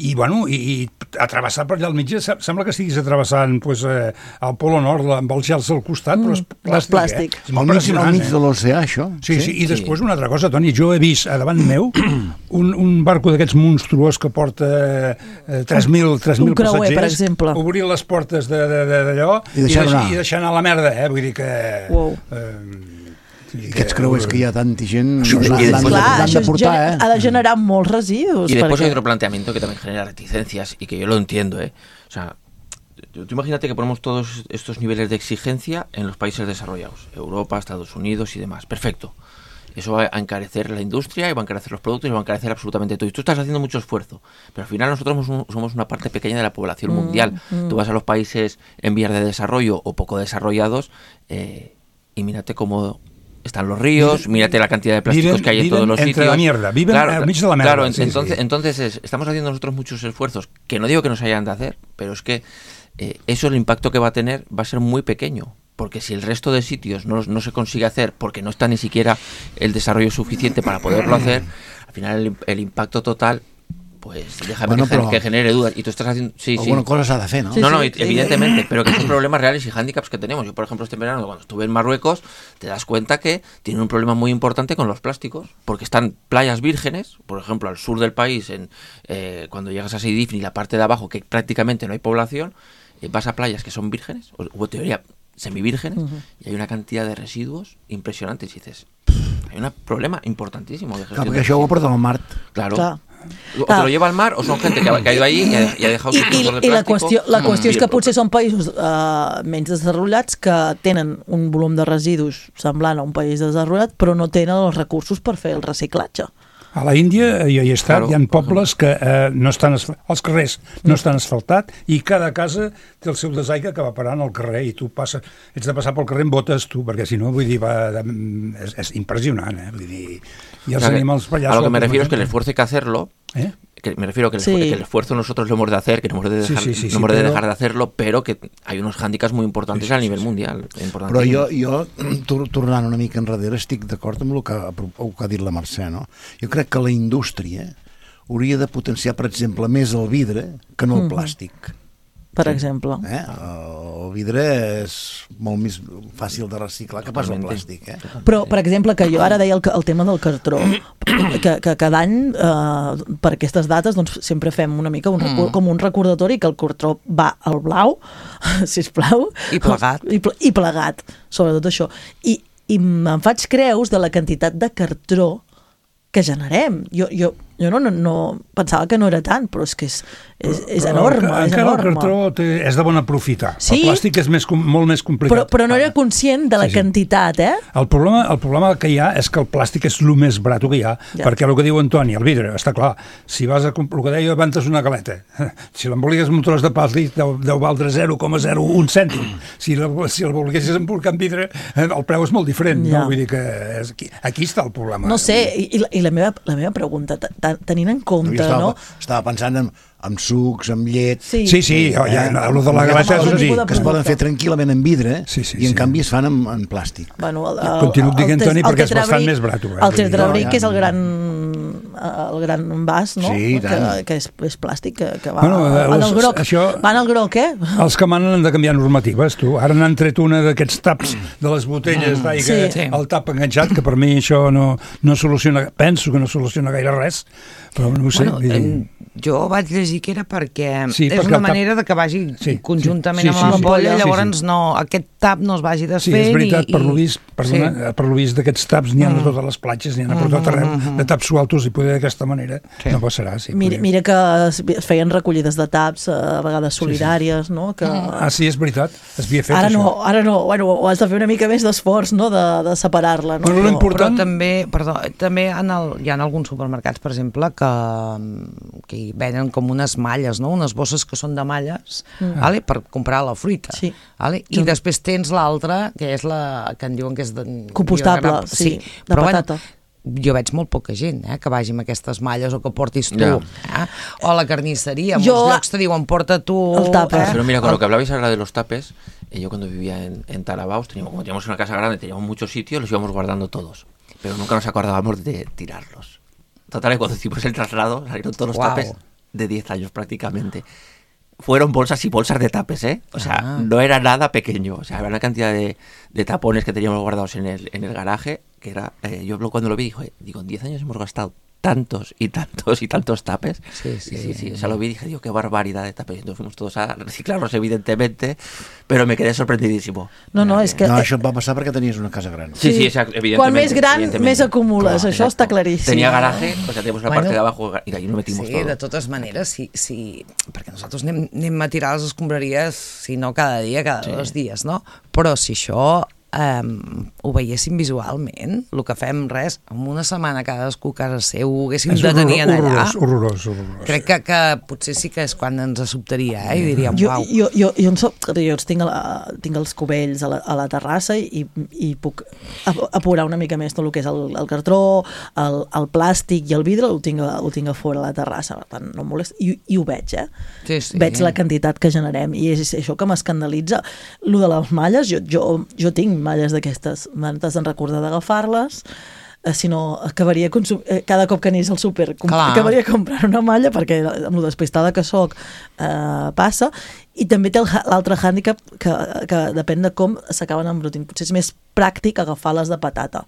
i, bueno, i, i atrevessar per allà al mig se- sembla que estiguis atrevessant pues, eh, el Polo Nord amb els gels al costat, però és Mm, plàstic, plàstic. Eh? És Al molt mig, al impressionant, mig eh? de l'oceà, això. Sí, sí, i Sí. després una altra cosa, Toni, jo he vist a davant meu un, un barco d'aquests monstruós que porta eh, tres mil tres mil Un creuer, passatgers, per exemple. obrir les portes de- de- de- d'allò I deixar deix- anar. i deixar anar la merda, eh? Vull dir que... Wow. Eh, I aquests creuers que hi ha tanta gent Això és- l'han i l'han després- de, Clar, l'han això de és portar, gener- eh? ha de generar molts residus. Y después perquè- hay otro planteamiento que también genera reticencias y que yo lo entiendo, ¿eh? O sea, tú tú imagínate que ponemos todos estos niveles de exigencia en los países desarrollados, Europa, Estados Unidos y demás. Perfecto. Eso va a encarecer la industria y va a encarecer los productos y va a encarecer absolutamente todo. Y tú estás haciendo mucho esfuerzo, pero al final nosotros somos, un- somos una parte pequeña de la población Mm, mundial. mm. Tú vas a los países en vías de desarrollo o poco desarrollados eh, y mírate cómo están los ríos, mírate la cantidad de plásticos Viven- que hay en viven todos los entre sitios. la mierda, viven al mig de la merda, Claro, en- sí, entonces, sí. entonces es- estamos haciendo nosotros muchos esfuerzos, que no digo que no se hayan de hacer, pero es que eh, eso, el impacto que va a tener va a ser muy pequeño. Porque si el resto de sitios no, no se consigue hacer porque no está ni siquiera el desarrollo suficiente para poderlo hacer, al final el, el impacto total, pues déjame Bueno, que, gen- pero- que genere dudas. Y tú estás haciendo... Sí, sí. Alguna cosa s'ha de fer, no? Sí, no, no, sí, sí. evidentemente, pero que son problemas reales y hándicaps que tenemos. Yo, por ejemplo, este verano, cuando estuve en Marruecos, te das cuenta que tienen un problema muy importante con los plásticos, porque están playas vírgenes, por ejemplo, al sur del país, en eh, cuando llegas a Seydifni, la parte de abajo, que prácticamente no hay población, eh, vas a playas que son vírgenes, o, o en teoría semivírgenes, Ujú. y hay una cantidad de residuos impresionantes. Y dices, hay un problema importantísimo de Clar, gestión perquè de això ho residuos. porta al mar. Claro. Clar. O te lo lleva al mar o son gente que ha, que ha ido ahí y ha, y ha dejado I, sus i, trozos de i la plástico. qüestió, la qüestió és que Mm. potser són països uh, menys desenvolupats que tenen un volum de residus semblant a un país desenvolupat, però no tenen els recursos per fer el reciclatge. A la Índia, jo hi he estat, Claro, hi ha pobles que eh, no estan asf- els carrers no estan asfaltats i cada casa té el seu desaigüe que va parant al carrer i tu passes, ets de passar pel carrer amb botes tu, perquè si no, vull dir, va, de, és, és impressionant, eh? Vull dir, i els O sea, animals per allà... a lo que me sueltos, refiero es que el no? esfuerzo hay que hacerlo. Eh? Que me refiero que el, Sí. que el esfuerzo nosotros lo hemos de hacer, que no hemos de Sí, dejar, sí, sí, sí, no hemos de, pero- dejar de hacerlo, pero que hay unos hándicaps muy importantes Sí, sí, a nivel sí, sí. mundial. Però jo, jo, tor- tornant una mica enrere, estic d'acord amb el que, el que ha dit la Mercè, no? Jo crec que la indústria hauria de potenciar, per exemple, més el vidre que no el plàstic. Per exemple. Eh? El vidre és molt més fàcil de reciclar que pas el Totalmente. plàstic. Eh? Però, per exemple, que jo ara deia el, el tema del cartró, que, que cada any, eh, per aquestes dates, doncs, sempre fem una mica un, mm. com un recordatori que el cartró va al blau, sisplau. I plegat. I, ple, i plegat, sobretot això. I, i me'n faig creus de la quantitat de cartró que generem. Jo, jo, jo no, no, no pensava que no era tant, però és que és, és, és Però enorme, enca- és encara enorme. el cartró té, és de bon aprofitar. Sí? El plàstic és més, com- molt més complicat. Però, però no era conscient de la Sí, sí. quantitat, eh? El problema, el problema que hi ha és que el plàstic és el més barat que hi ha, Ja. perquè el que diu Antoni, el vidre, està clar, si vas a comp- el que deia abans una galeta, si l'emboliques amb un tros de plàstic deu, deu valdre zero coma zero un cèntim. Si la, si el volguessis embolcar amb vidre, eh, el preu és molt diferent. Ja. No? Vull dir que és, aquí, aquí està el problema. No sé, i, i la- i la, meva, la meva pregunta, t- t- tenint en compte, Jo estava, no? estava pensant en, en sucs, en llet... Sí, Sí, sí, ja, ja, el de la galeta és Amb un algun sí. tipus de que es poden fer tranquil·lament en vidre Sí, sí, i en sí. canvi es fan en, en plàstic. Bueno, el, Continuo el- dient, el Toni, tes- perquè el és bastant tetrabric- més barat, eh? El Vull dir, tetrabric, no, que és el ja. gran el gran vas, no? Sí, i que, tant. que és, és plàstic, que, que va Bueno, en els- el groc. això- Va en el groc, eh? Els que manen han de canviar normatives, tu. Ara n'han tret una d'aquests taps de les botelles d'aigua, Sí. Sí. el tap enganxat, que per mi això no, no soluciona, penso que no soluciona gaire res, però no ho sé. Bueno, vull dir- em, jo vaig llegir que era perquè Sí, és perquè una el tap- manera de que vagi Sí, conjuntament sí, sí, amb sí, l'ampolla, sí, sí. llavors Sí, sí. no, aquest tap no es vagi Sí, desfent. és veritat, i, per lo i- vist, perdona, sí. per lo vist d'aquests taps n'hi ha a totes les platges, n'hi ha per tot arreu, de taps sueltos, i poder d'aquesta manera Sí. no passarà. Sí, Mira, podria- mira que es es feien recollides de taps, eh, a vegades solidàries, no? Que... Ah, sí, és veritat, es havia fet Ara això. no, ara no, bueno, ho has de fer una mica més d'esforç, no?, de, de separar-la, no? Bueno, Però- l'important- Però també, perdó, també en el, hi ha alguns supermercats, per exemple, que, que hi venen com unes malles, no? Unes bosses que són de malles, mm. vale? Per comprar la fruita. Sí. Vale? I Sí. després tens l'altra, que és la que en diuen que és de, Compostable, biodegrad- sí, de però patata. Bueno, jo veig molt poca gent eh, que vagi amb aquestes malles o que portis tu. Ja. Eh? O a la carnisseria, en Jo- molts llocs te diuen porta tu... El tupper. Pero mira, con El- lo que hablabais ahora de los tapes, eh, yo cuando vivía en, en Tarabaos, teníamos, como teníamos una casa grande, teníamos muchos sitios, los íbamos guardando todos. Pero nunca nos acordábamos de tirarlos. Total, que cuando hicimos el traslado, salieron todos los Guau. tapes de diez años prácticamente. Fueron bolsas y bolsas de tapes, ¿eh? O sea, Ah. no era nada pequeño. O sea, había una cantidad de, de tapones que teníamos guardados en el, en el garaje, que era... eh, yo cuando lo vi, dije, digo, en diez años hemos gastado tantos y tantos y tantos tapes. Sí, sí. Y sí, sí. O sea, lo vi y dije, digo, qué barbaridad de tapes. Entonces fuimos todos a reciclarlos, evidentemente, pero me quedé sorprendidísimo. No, no, és que... No, això et va passar perquè tenies una casa gran. Sí, sí, exacto, evidentemente. Quan més gran, evidentemente. més acumules, Claro, això està exacto. claríssim. Tenía garaje, o sea, teníamos una Bueno, parte de abajo y ahí lo metimos Sí, todo. de totes maneres, sí, sí, perquè nosaltres anem, anem a tirar les escombraries, si no cada dia, cada Sí. dos dies, no? Però si això um, ho veiéssim visualment, el que fem res, en una setmana cadascú a casa seu ho haguéssim És de tenir horrorós, allà, horrorós, horrorós, horrorós. crec que, que potser sí que és quan ens sobtaria, eh? I diríem, Jo, uau. jo, jo, jo, en soc, jo els tinc, a la, tinc els cubells a la, a la terrassa i, i puc ap- apurar una mica més tot el que és el, el cartró, el, el plàstic i el vidre, ho tinc, a, ho tinc a fora a la terrassa, per tant no em molesta, i, i ho veig, eh? Sí, sí. Veig la quantitat que generem i és això que m'escandalitza. Lo de les malles, jo, jo, jo tinc malles d'aquestes, m'has de recordar d'agafar-les, eh, si no acabaria consum... eh, cada cop que anés al súper com... Clar. acabaria comprant una malla perquè amb lo despistada que soc eh, passa I també té el, l'altre hàndicap que, que depèn de com s'acaben embrutint. Potser és més pràctic agafar les de patata,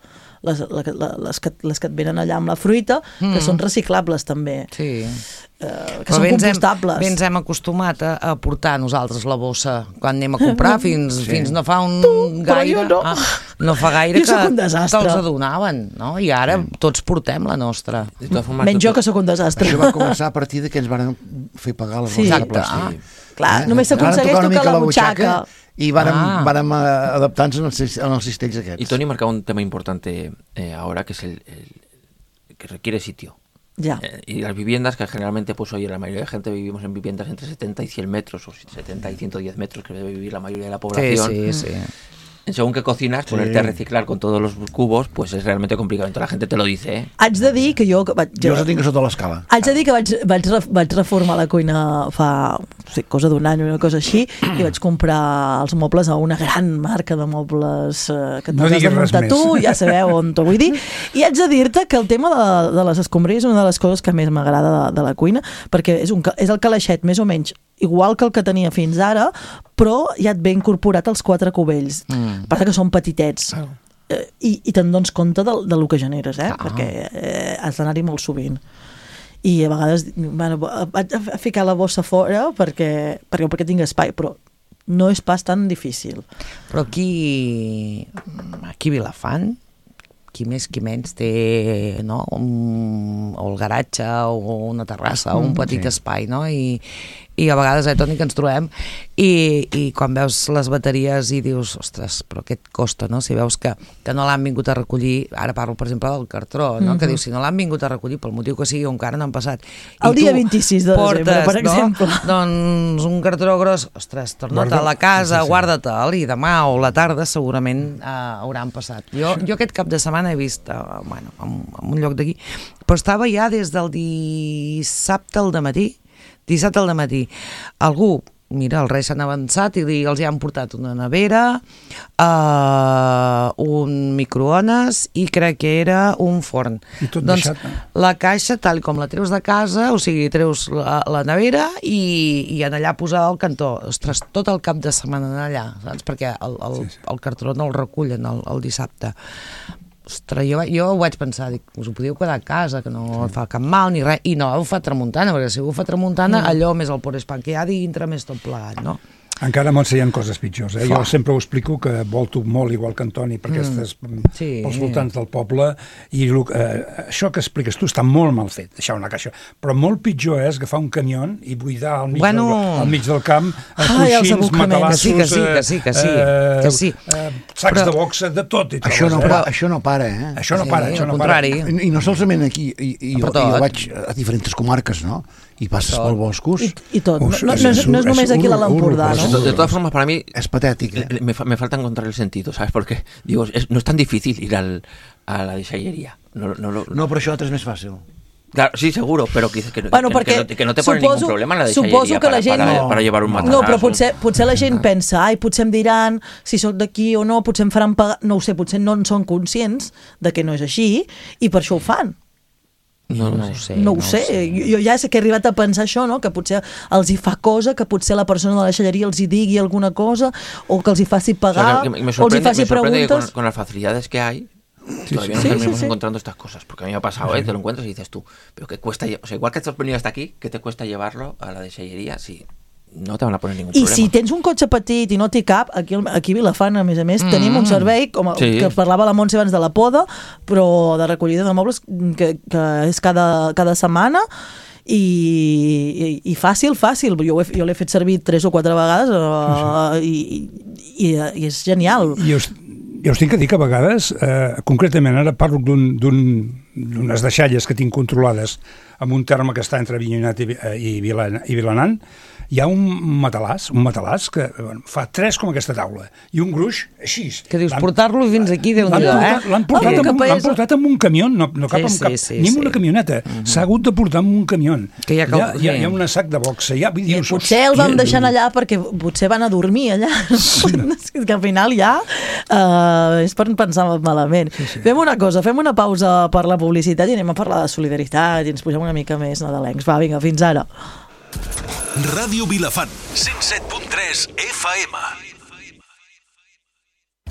les, les, les, que, les que et venen allà amb la fruita, mm. que són reciclables també. Sí. Eh, que Però són compostables. Bé ens hem acostumat a, a portar nosaltres la bossa quan anem a comprar, fins, sí. fins no fa un tu, gaire... no. Ah, no fa gaire jo que, un que els adonaven, no? I ara sí. tots portem la nostra. Menys jo, que sóc un desastre. Això va començar a partir de que ens van fer pagar les sí. bosses de plàstic. Ah. Clar, eh? només s'aconsegueix tocar la butxaca. I vàrem, ah. vàrem adaptar-nos en els, en els cistells aquests. Y Tony marcaba un tema importante eh, ahora, que es el, el que requiere sitio. Ya. Eh, y las viviendas, que generalmente, pues oye, la mayoría de gente vivimos en viviendas entre setenta y cien metros, o setenta y ciento diez metros, que debe vivir la mayoría de la población. Sí, sí, sí. Según que cocinas, ponerte sí. a reciclar con todos los cubos, pues es realmente complicado. Entonces la gente te lo dice, ¿eh? Haig de dir que jo... Vaig, jo els tinc sota l'escala. Haig de dir que vaig, vaig, vaig reformar la cuina fa, no sé, cosa d'un any o una cosa així, i vaig comprar els mobles a una gran marca de mobles eh, que no t'has de muntar tu, ja sabeu on t'ho vull dir. I haig de dir-te que el tema de, de les escombraries és una de les coses que més m'agrada de, de la cuina, perquè és, un, és el calaixet més o menys igual que el que tenia fins ara, però ja et ve incorporat els quatre cubells. Mm. Passa que són petitets. Oh. Eh, i, I te'n dones compte de, de lo que generes, eh? Ah. Perquè eh, has d'anar-hi molt sovint. I a vegades, bueno, vaig a ficar la bossa fora perquè, perquè, perquè tinc espai, però no és pas tan difícil. Però aquí, aquí a Vilafant, qui més qui menys té, no? un, o el garatge o una terrassa o un petit sí. espai, no? I, i a vegades, eh, Toni, que ens trobem i, i quan veus les bateries i dius, ostres, però què et costa, no? Si veus que, que no l'han vingut a recollir, ara parlo, per exemple, del cartró, no? Mm-hmm. Que dius, si no l'han vingut a recollir pel motiu que sigui, encara no han passat. El dia vint-i-sis de portes, desembre, per exemple. No? Doncs un cartró gros, ostres, torna-te Guarda... a la casa, sí, sí. guarda-te'l, i demà o la tarda segurament eh, hauran passat. Jo, jo aquest cap de setmana he vist, eh, bueno, en, en un lloc d'aquí, però estava ja des del dissabte al dematí, dissabte al dematí, algú, mira, els Reis s'han avançat i els hi han portat una nevera, uh, un microones i crec que era un forn. I tot doncs deixat, no? La caixa, tal com la treus de casa, o sigui, treus la, la nevera i, i en allà posada al cantó. Ostres, tot el cap de setmana en allà, saps? Perquè el, el, sí, sí. el cartró no el recullen el, el dissabte. Ostres, jo, jo ho vaig pensar, dic, us ho podíeu quedar a casa, que no sí. fa cap mal ni res, i no, ho fa tramuntana, perquè si ho fa tramuntana, mm. allò més el porespant que hi ha dintre, més tot plegat, no? Encara a Montse hi ha coses pitjors, eh? Jo sempre ho explico que volto molt, igual que Antoni, per aquestes, mm. sí. pels voltants del poble, i eh, això que expliques tu està molt mal fet, deixar una caixa, però molt pitjor és agafar un camió i buidar al mig, bueno... del, al mig del camp ah, coixins, matalassos, que sí, que sí, que sí, eh, que sí. Eh, sacs però... de boxa, de tot. I tot això, no, eh? però, això no para, eh? Això no sí, para, això no para. I, I no solament aquí, i, i, jo, jo vaig a diferents comarques, no? I passes pels boscos... I, i tot, no, no, no, és, no és només aquí a l'Empordà, no? De todas formas, para mí... Es patético. ¿eh? Me, me falta encontrar el sentido, ¿sabes? Porque, digo, es, no es tan difícil ir al, a la deixallería. No, no, no, no, però això és més fàcil. Claro, sí, seguro, pero que, que, bueno, que, que, no, que no te pone suposo, ningún problema en la deixallería que para, la gent para, no. para llevar un matalasso. No, però potser, potser la gent pensa, ai, potser em diran si sóc d'aquí o no, potser em faran pagar... No ho sé, potser no en són conscients de que no és així i per això ho fan. No, no ho sé. No ho sé. sé. Jo ja sé que he arribat a pensar això, no? Que potser els hi fa cosa, que potser la persona de la deixalleria els hi digui alguna cosa, o que els hi faci pagar, o, sea, que me o els hi faci preguntes. Con, con las facilidades que hay, sí, todavía sí, no terminamos sí, sí. encontrando estas cosas, porque a mí me ha pasado, sí. ¿eh? Te lo encuentras y dices tú, pero que cuesta, o sea, igual que has venido hasta aquí, ¿qué te cuesta llevarlo a la deixalleria? Sí. No te van a poner ningún I problema. I si tens un cotxe petit i no t'hi cap, aquí, aquí a Vilafant, a més a més, mm. tenim un servei, com el, sí. que parlava la Montse abans de la poda, però de recollida de mobles, que, que és cada, cada setmana, i, i, i fàcil, fàcil. Jo, he, jo l'he fet servir tres o quatre vegades uh, i, i, i és genial. I us, jo us tinc que dir que a vegades, eh, concretament ara parlo d'un, d'un, d'unes deixalles que tinc controlades amb un terme que està entre Avinyonet i, i, Vilan, i Vilanant, hi ha un matalàs, un matalàs que bueno, fa tres com aquesta taula, i un gruix així. Que dius, portar-lo fins aquí, Déu-n'hi-do, eh? L'han portat, oh, amb, portat amb un camió, no, no cap, sí, amb cap, sí, sí, ni amb sí. una camioneta. Uh-huh. S'ha hagut de portar amb un camió. Que hi ha, hi ha, hi ha, hi ha un sac de boxa. Hi ha, dius, potser el vam deixar allà perquè potser van a dormir allà. Sí, no. Que al final ja uh, és per pensar malament. Sí, sí. Fem una cosa, fem una pausa per la publicitat i anem a parlar de solidaritat i ens posem una mica més nadalencs. Va, vinga, fins ara. Ràdio Vilafant, cent set punt tres F M.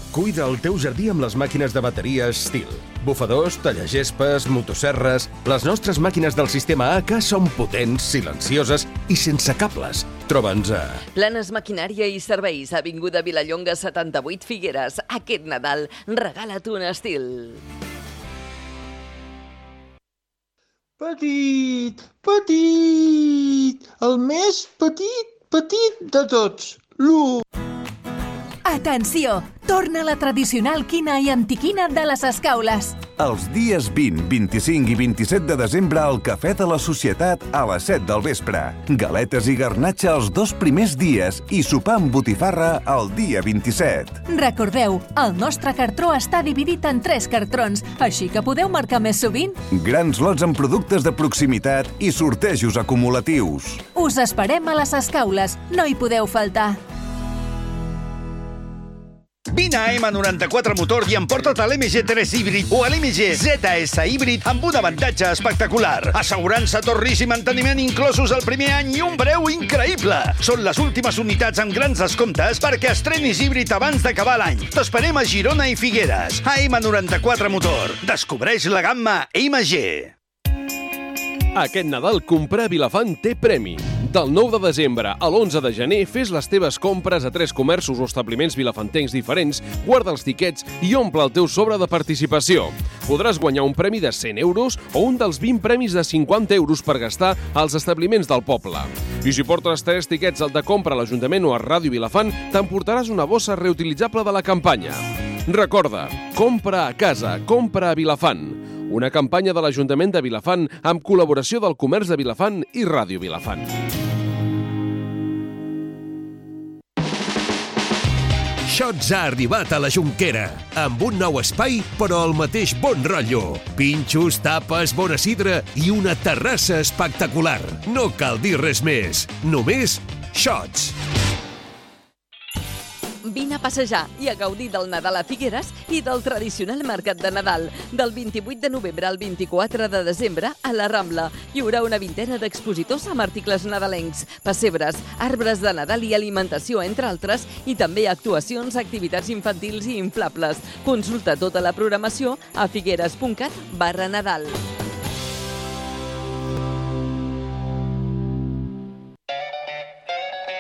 Cuida el teu jardí amb les màquines de bateria Stihl. Bufadors, tallagespes, motosserres... Les nostres màquines del sistema A K són potents, silencioses i sense cables. Troba'ns a... Planes Maquinària i Serveis, avinguda Vilallonga setanta-vuit Figueres. Aquest Nadal, regala't un Stihl. Petit, petit, el més petit, petit de tots, l'u. Atenció! Torna la tradicional quina i antiquina de les Escaules. Els dies vint, vint-i-cinc i vint-i-set de desembre al Cafè de la Societat a les set del vespre. Galetes i garnatxa els dos primers dies i sopar amb botifarra el dia vint-i-set. Recordeu, el nostre cartró està dividit en tres cartrons, així que podeu marcar més sovint. Grans lots amb productes de proximitat i sortejos acumulatius. Us esperem a les Escaules, no hi podeu faltar. Vine a ema noranta-quatre Motor i emporta't a l'M G tres híbrid o a l'M G Z S híbrid amb un avantatge espectacular. Assegurança, torris i manteniment inclosos el primer any i un preu increïble. Són les últimes unitats amb grans descomptes perquè estrenis híbrid abans d'acabar l'any. T'esperem a Girona i Figueres. A ema noranta-quatre Motor. Descobreix la gamma M G. Aquest Nadal comprar a Vilafant té premi. Del nou de desembre a l'onze de gener fes les teves compres a tres comerços o establiments vilafantencs diferents, guarda els tiquets i omple el teu sobre de participació. Podràs guanyar un premi de cent euros o un dels vint premis de cinquanta euros per gastar als establiments del poble. I si portes tres tiquets al de compra a l'Ajuntament o a Ràdio Vilafant, t'emportaràs una bossa reutilitzable de la campanya. Recorda, compra a casa, compra a Vilafant. Una campanya de l'Ajuntament de Vilafant amb col·laboració del Comerç de Vilafant i Ràdio Vilafant. Shots ha arribat a la Jonquera, amb un nou espai, però el mateix bon rotllo. Pinxos, tapes, bona sidra i una terrassa espectacular. No cal dir res més, només Shots. Vine a passejar i a gaudir del Nadal a Figueres i del tradicional mercat de Nadal. Del vint-i-vuit de novembre al vint-i-quatre de desembre a la Rambla hi haurà una vintena d'expositors amb articles nadalencs, pessebres, arbres de Nadal i alimentació, entre altres, i també actuacions, activitats infantils i inflables. Consulta tota la programació a figueres.cat barra Nadal.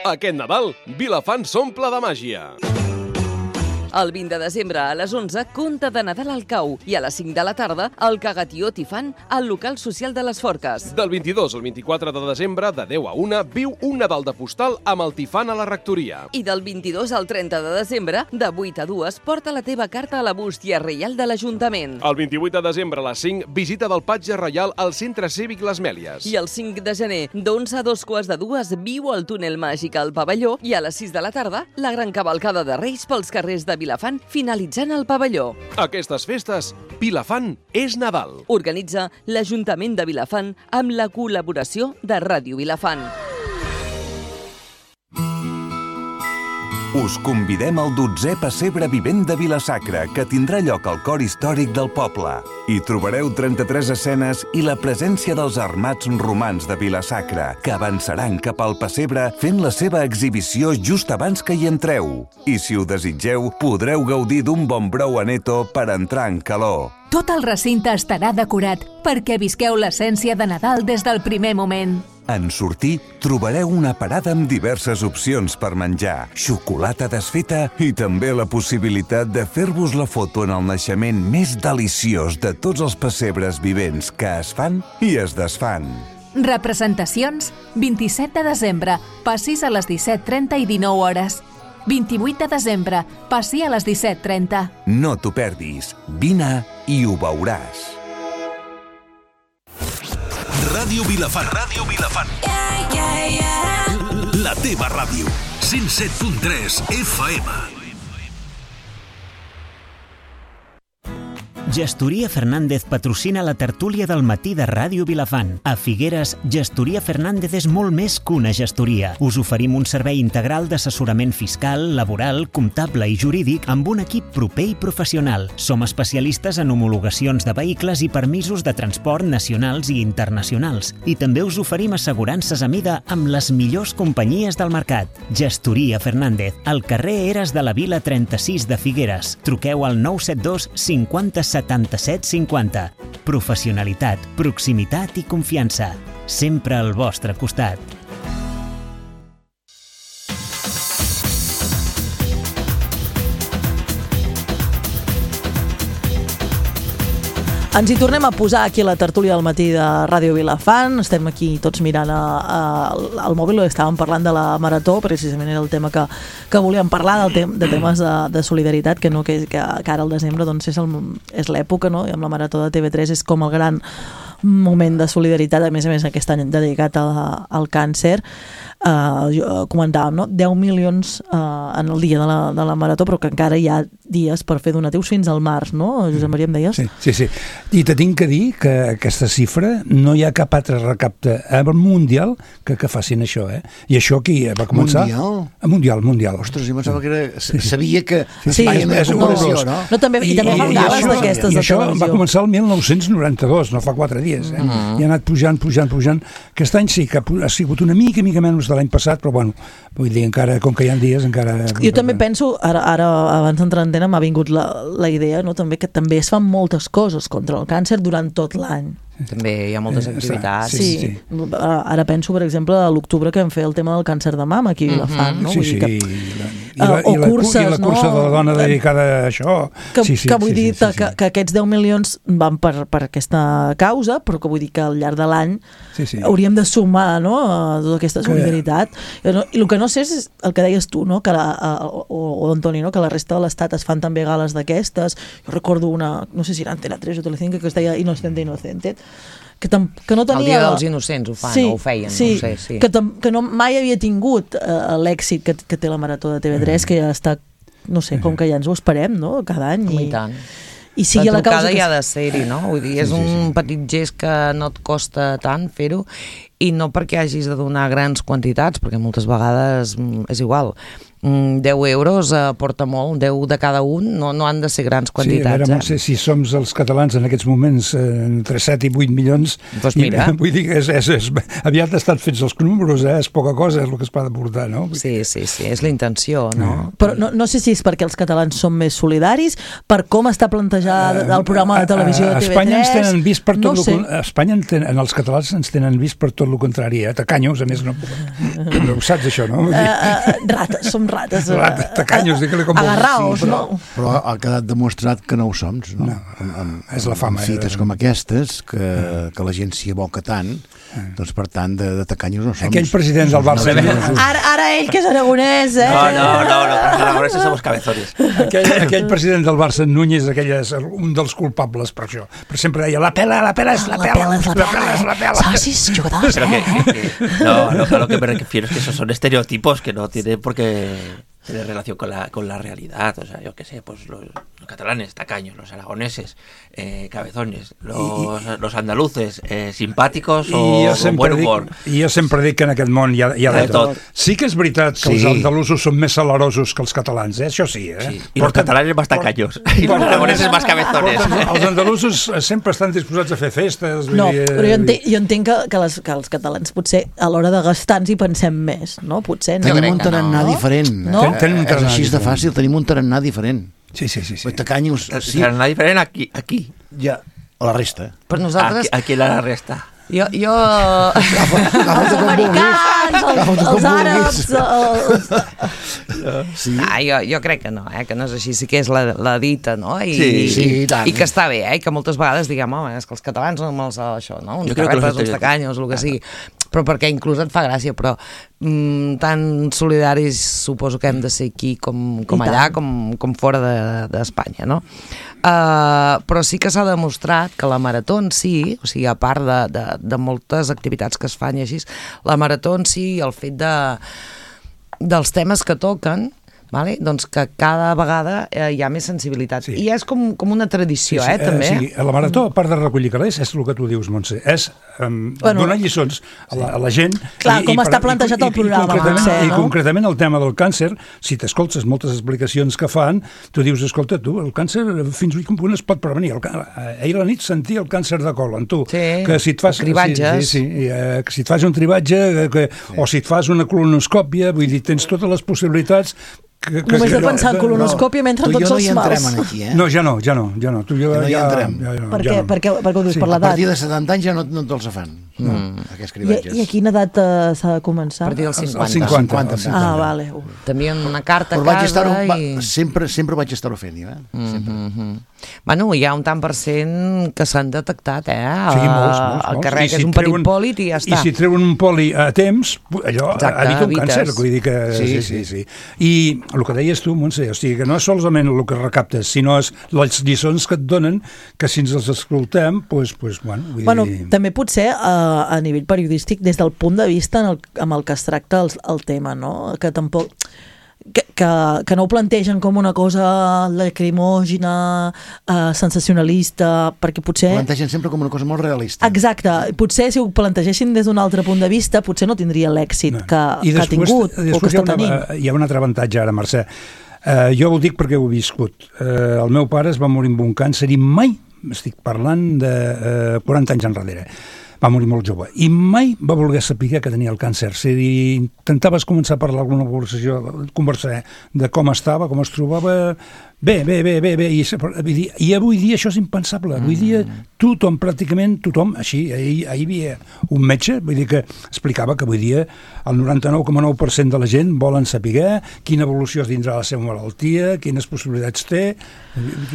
Aquest Nadal, Vilafant s'omple de màgia. El vint de desembre a les onze, conte de Nadal al Cau i a les cinc de la tarda, el Cagatió Tifant al local social de les Forques. Del vint-i-dos al vint-i-quatre de desembre, de deu a una, viu un Nadal de postal amb el Tifant a la rectoria. I del vint-i-dos al trenta de desembre, de vuit a dues, porta la teva carta a la bústia reial de l'Ajuntament. El vint-i-vuit de desembre a les cinc, visita del Patge Reial al Centre Cívic Les Mèlies. I el cinc de gener, d'onze a dos quarts de dues, viu al túnel màgic al pavelló i a les sis de la tarda, la gran cavalcada de Reis pels carrers de Vilafant, finalitzant el pavelló. Aquestes festes, Vilafant és Nadal. Organitza l'Ajuntament de Vilafant amb la col·laboració de Ràdio Vilafant. Us convidem al dotzè pessebre vivent de Vila-sacra, que tindrà lloc al cor històric del poble. Hi trobareu trenta-tres escenes i la presència dels armats romans de Vila-sacra, que avançaran cap al pessebre fent la seva exhibició just abans que hi entreu. I si ho desitgeu, podreu gaudir d'un bon brou aneto per entrar en calor. Tot el recinte estarà decorat perquè visqueu l'essència de Nadal des del primer moment. En sortir, trobareu una parada amb diverses opcions per menjar, xocolata desfeta i també la possibilitat de fer-vos la foto en el naixement més deliciós de tots els pessebres vivents que es fan i es desfan. Representacions, vint-i-set de desembre, passis a les disset trenta i dinou hores. vint-i-vuit de desembre, passi a les disset trenta. No t'ho perdis, vine i ho veuràs. Ràdio Vilafant. Ràdio Vilafant. Yeah, yeah, yeah. La teva ràdio. cent set punt tres F M. Gestoria Fernández patrocina la tertúlia del matí de Ràdio Vilafant. A Figueres, Gestoria Fernández és molt més que una gestoria. Us oferim un servei integral d'assessorament fiscal, laboral, comptable i jurídic amb un equip proper i professional. Som especialistes en homologacions de vehicles i permisos de transport nacionals i internacionals. I també us oferim assegurances a mida amb les millors companyies del mercat. Gestoria Fernández, al carrer Eres de la Vila trenta-sis de Figueres. Truqueu al nou set dos cinquanta setanta-set cinquanta. Professionalitat, proximitat i confiança. Sempre al vostre costat. Ens hi tornem a posar aquí a la tertúlia del matí de Ràdio Vilafant. Estem aquí tots mirant a, a, al mòbil, estàvem parlant de la marató, precisament era el tema que, que volíem parlar, del tem, de temes de, de solidaritat, que, no, que, que, que ara al desembre doncs, és, el, és l'època, no? I amb la marató de T V tres és com el gran moment de solidaritat, a més a més aquest any dedicat a, al càncer. Uh, jo, comentàvem, no? deu milions uh, en el dia de la, de la marató, però que encara hi ha dies per fer donatius fins al març, no? Josep Maria, em deies? Sí, sí, sí. I te tinc que dir que aquesta xifra no hi ha cap altre recapte al Mundial que, que facin això, eh? I això aquí va començar... Mundial? A Mundial, Mundial. Ostres, jo pensava que era... Sabia que... Sí, Espanya és, és no, no, no? no, també, I, i també fan gales d'aquestes de televisió. I això va començar el mil nou-cents noranta-dos, no fa quatre dies, eh? Mm. I ha anat pujant, pujant, pujant. Aquest any sí que ha sigut una mica, mica menys de l'any passat, però bueno, vull dir, encara, com que hi ha dies, encara... Jo també penso, ara, ara abans d'entrar en antena m'ha vingut la, la idea, no? també que també es fan moltes coses contra el càncer durant tot l'any. També hi ha moltes activitats. Sí, sí, sí. Ara penso, per exemple, a l'octubre que vam fer el tema del càncer de mama aquí a Vilafant, no? Sí, vull sí, dir que, i la, i la, o i la, curses, i la cursa no? de la dona dedicada a això. Que, sí, sí, que vull sí, dir sí, sí, que, sí. que aquests deu milions van per, per aquesta causa, però que vull dir que al llarg de l'any sí, sí. hauríem de sumar, no?, a tota aquesta solidaritat. I, no, i el que no sé és el que deies tu, no?, que la, o, o Antoni, no?, que la resta de l'Estat es fan també gales d'aquestes. Jo recordo una, no sé si era Antena tres o Telecinco, que es deia Inocente Inocente, que, tam, que no tenia... El dia dels innocents ho fan, sí, o ho feien, sí, no sé, sí. Que, tam, que no, mai havia tingut uh, l'èxit que, que té la marató de T V tres, mm. que ja està, no sé, com que ja ens ho esperem, no?, cada any. I, I tant. I sigui la trucada la causa que... hi ha de ser-hi, no? Vull dir, és sí, sí, sí. un petit gest que no et costa tant fer-ho, i no perquè hagis de donar grans quantitats, perquè moltes vegades és igual. deu euros aporta molt, deu de cada un, no, no han de ser grans quantitats. Sí, a veure, Montse, eh? si som els catalans en aquests moments eh, entre set i vuit milions, pues mira. I, vull dir que és, és, és, aviat estan fets els números, eh? És poca cosa, és el que es pot aportar, no? Sí, sí, sí, és la intenció, no? Però no, no sé si és perquè els catalans són més solidaris, per com està plantejat uh, el programa de televisió de T V tres... A Espanya ens tenen vist per tot no lo, sé. A Espanya en, ten, en els catalans ens tenen vist per tot el contrari, eh? Tacanyos, a més, no, no ho saps això, no? Uh, uh, rates, som rates. Uh, rates. Tacanyos, digue-li com agarraos, sí, no? Però, però ha quedat demostrat que no ho som, no? no amb, amb, és la fama. Amb fites eh? com aquestes, que, uh. que la gent s'hi aboca tant, uh. doncs per tant, de, de tacanyos no som. Aquell president del Barça... Ara, ara ell, que és aragonès, eh? No, no, no, no, los aragoneses somos cabezones. Aquell, aquell president del Barça, Núñez, aquell és un dels culpables per això. Però sempre deia, la pela, la pela és la pela, la pela és la pela. Socis, jugadors, Pero que, que, que, no, no, a lo que me refiero es que esos son estereotipos que no tienen por qué tener relación con la, con la realidad. O sea, yo qué sé, pues los, los catalanes, tacaños, los aragoneses, eh, cabezones, los, I, los andaluces, eh, simpàticos o con buen humor. I jo sempre dic que en aquest món hi ha, hi ha de, de tot. tot. Sí que és veritat que sí. els andalusos són més salarosos que els catalans, eh? Això sí, eh? Sí. I els catalanes més tacaños, i els aragoneses més cabezones. Els andalusos sempre estan disposats a fer festes. No, dir, però jo entenc, jo entenc que, que, les, que els catalans potser a l'hora de gastar ens hi pensem més, no? Potser no. Tenim un tarannà no. diferent. No? Ten, és així de fàcil, tenim un tarannà diferent. Sí, sí, sí. sí. Tacanyos, sí. Tarannà diferent aquí, aquí. Ja, a la resta. Per nosaltres... Aquí, aquí la resta. Jo... jo... els americans, els, els àrabs... Els... Sí. Ah, jo, jo crec que no, eh? Que no és així, sí que és la, la dita, no? I, sí, sí, i, tant. I que està bé, eh? Que moltes vegades diguem, home, és que els catalans no me'ls això, no? Uns carrepes, uns tacanyos, el que sigui. Però perquè inclús et fa gràcia, però mm, tan solidaris suposo que hem de ser aquí com, com allà, com, com fora d'Espanya, de, no? Uh, però sí que s'ha demostrat que la marató en si, o sigui, a part de, de, de moltes activitats que es fan i així, la marató en si, el fet de, dels temes que toquen, vale? Doncs que cada vegada eh, hi ha més sensibilitat. Sí. I és com, com una tradició, sí, sí, eh, també. Eh, sí, a la Marató, a part de recollir calés, és el que tu dius, Montse, és um, bueno, donar lliçons a la, a la gent. Clar, i, com i, està plantejat i, el programa. I, i, concretament, potser, no? I concretament el tema del càncer, si t'escoltes moltes explicacions que fan, tu dius, escolta, tu, el càncer fins i tot es pot prevenir. El, ahir a la nit sentia el càncer de colon, tu. Sí, que si et fas, cribatges. Sí, sí, eh, que si et fas un tribatge que, sí. o si et fas una colonoscòpia, vull dir, tens totes les possibilitats. Que, que, Només que, de pensar en colonoscòpia no, m'entren tots els mals. Aquí, eh? No, ja no, ja no. Ja no. Tu, jo, ja no hi ja, entrem. Ja, ja, per, ja què? no. per què? Per què ho dius? Sí. Per l'edat? A partir de setanta anys ja no, no te'ls fan, no, mm. aquests cribatges. I, I a quina edat uh, s'ha de començar? A partir dels cinquanta. Els cinquanta. cinquanta, cinquanta. Ah, vale. Tenien una carta Però a casa vaig i... va, sempre, sempre vaig estar-ho fent, eh? Sempre. Mm -hmm. Bueno, hi ha un tant per cent que s'han detectat, eh? Sí, molts, molts. El carrer, que si és un treuen, petit pòlit i ja està. I si treuen un poli a temps, allò Exacte, evita un evites. càncer. Vull dir que... Sí, sí, sí. sí. I el que deies tu, Montse, o sigui, que no és solament el que recaptes, sinó és les lliçons que et donen, que si ens les escoltem, doncs, pues, bueno... Vull bueno dir... també potser a, a nivell periodístic, des del punt de vista en el, amb el que es tracta el, el tema, no? Que tampoc... Que, que, que no ho plantegen com una cosa lacrimògena, eh, sensacionalista, perquè potser... Ho plantegen sempre com una cosa molt realista. Exacte. Potser si ho plantegessin des d'un altre punt de vista, potser no tindria l'èxit no. que, I que després, ha tingut o que està una, tenint. Hi ha un altre avantatge ara, Mercè. Uh, jo ho dic perquè ho he viscut. Uh, el meu pare es va morir amb un càncer i mai, estic parlant de uh, quaranta anys enrere, va morir molt jove, i mai va voler saber que tenia el càncer. Si intentaves començar a parlar alguna conversació, conversar de com estava, com es trobava, bé, bé, bé, bé, bé, i, i, i avui dia això és impensable. Avui dia tothom, pràcticament tothom, així, ahir, ahir hi havia un metge, vull dir que explicava que avui dia el noranta-nou coma nou per cent de la gent volen saber quina evolució es tindrà la seva malaltia, quines possibilitats té.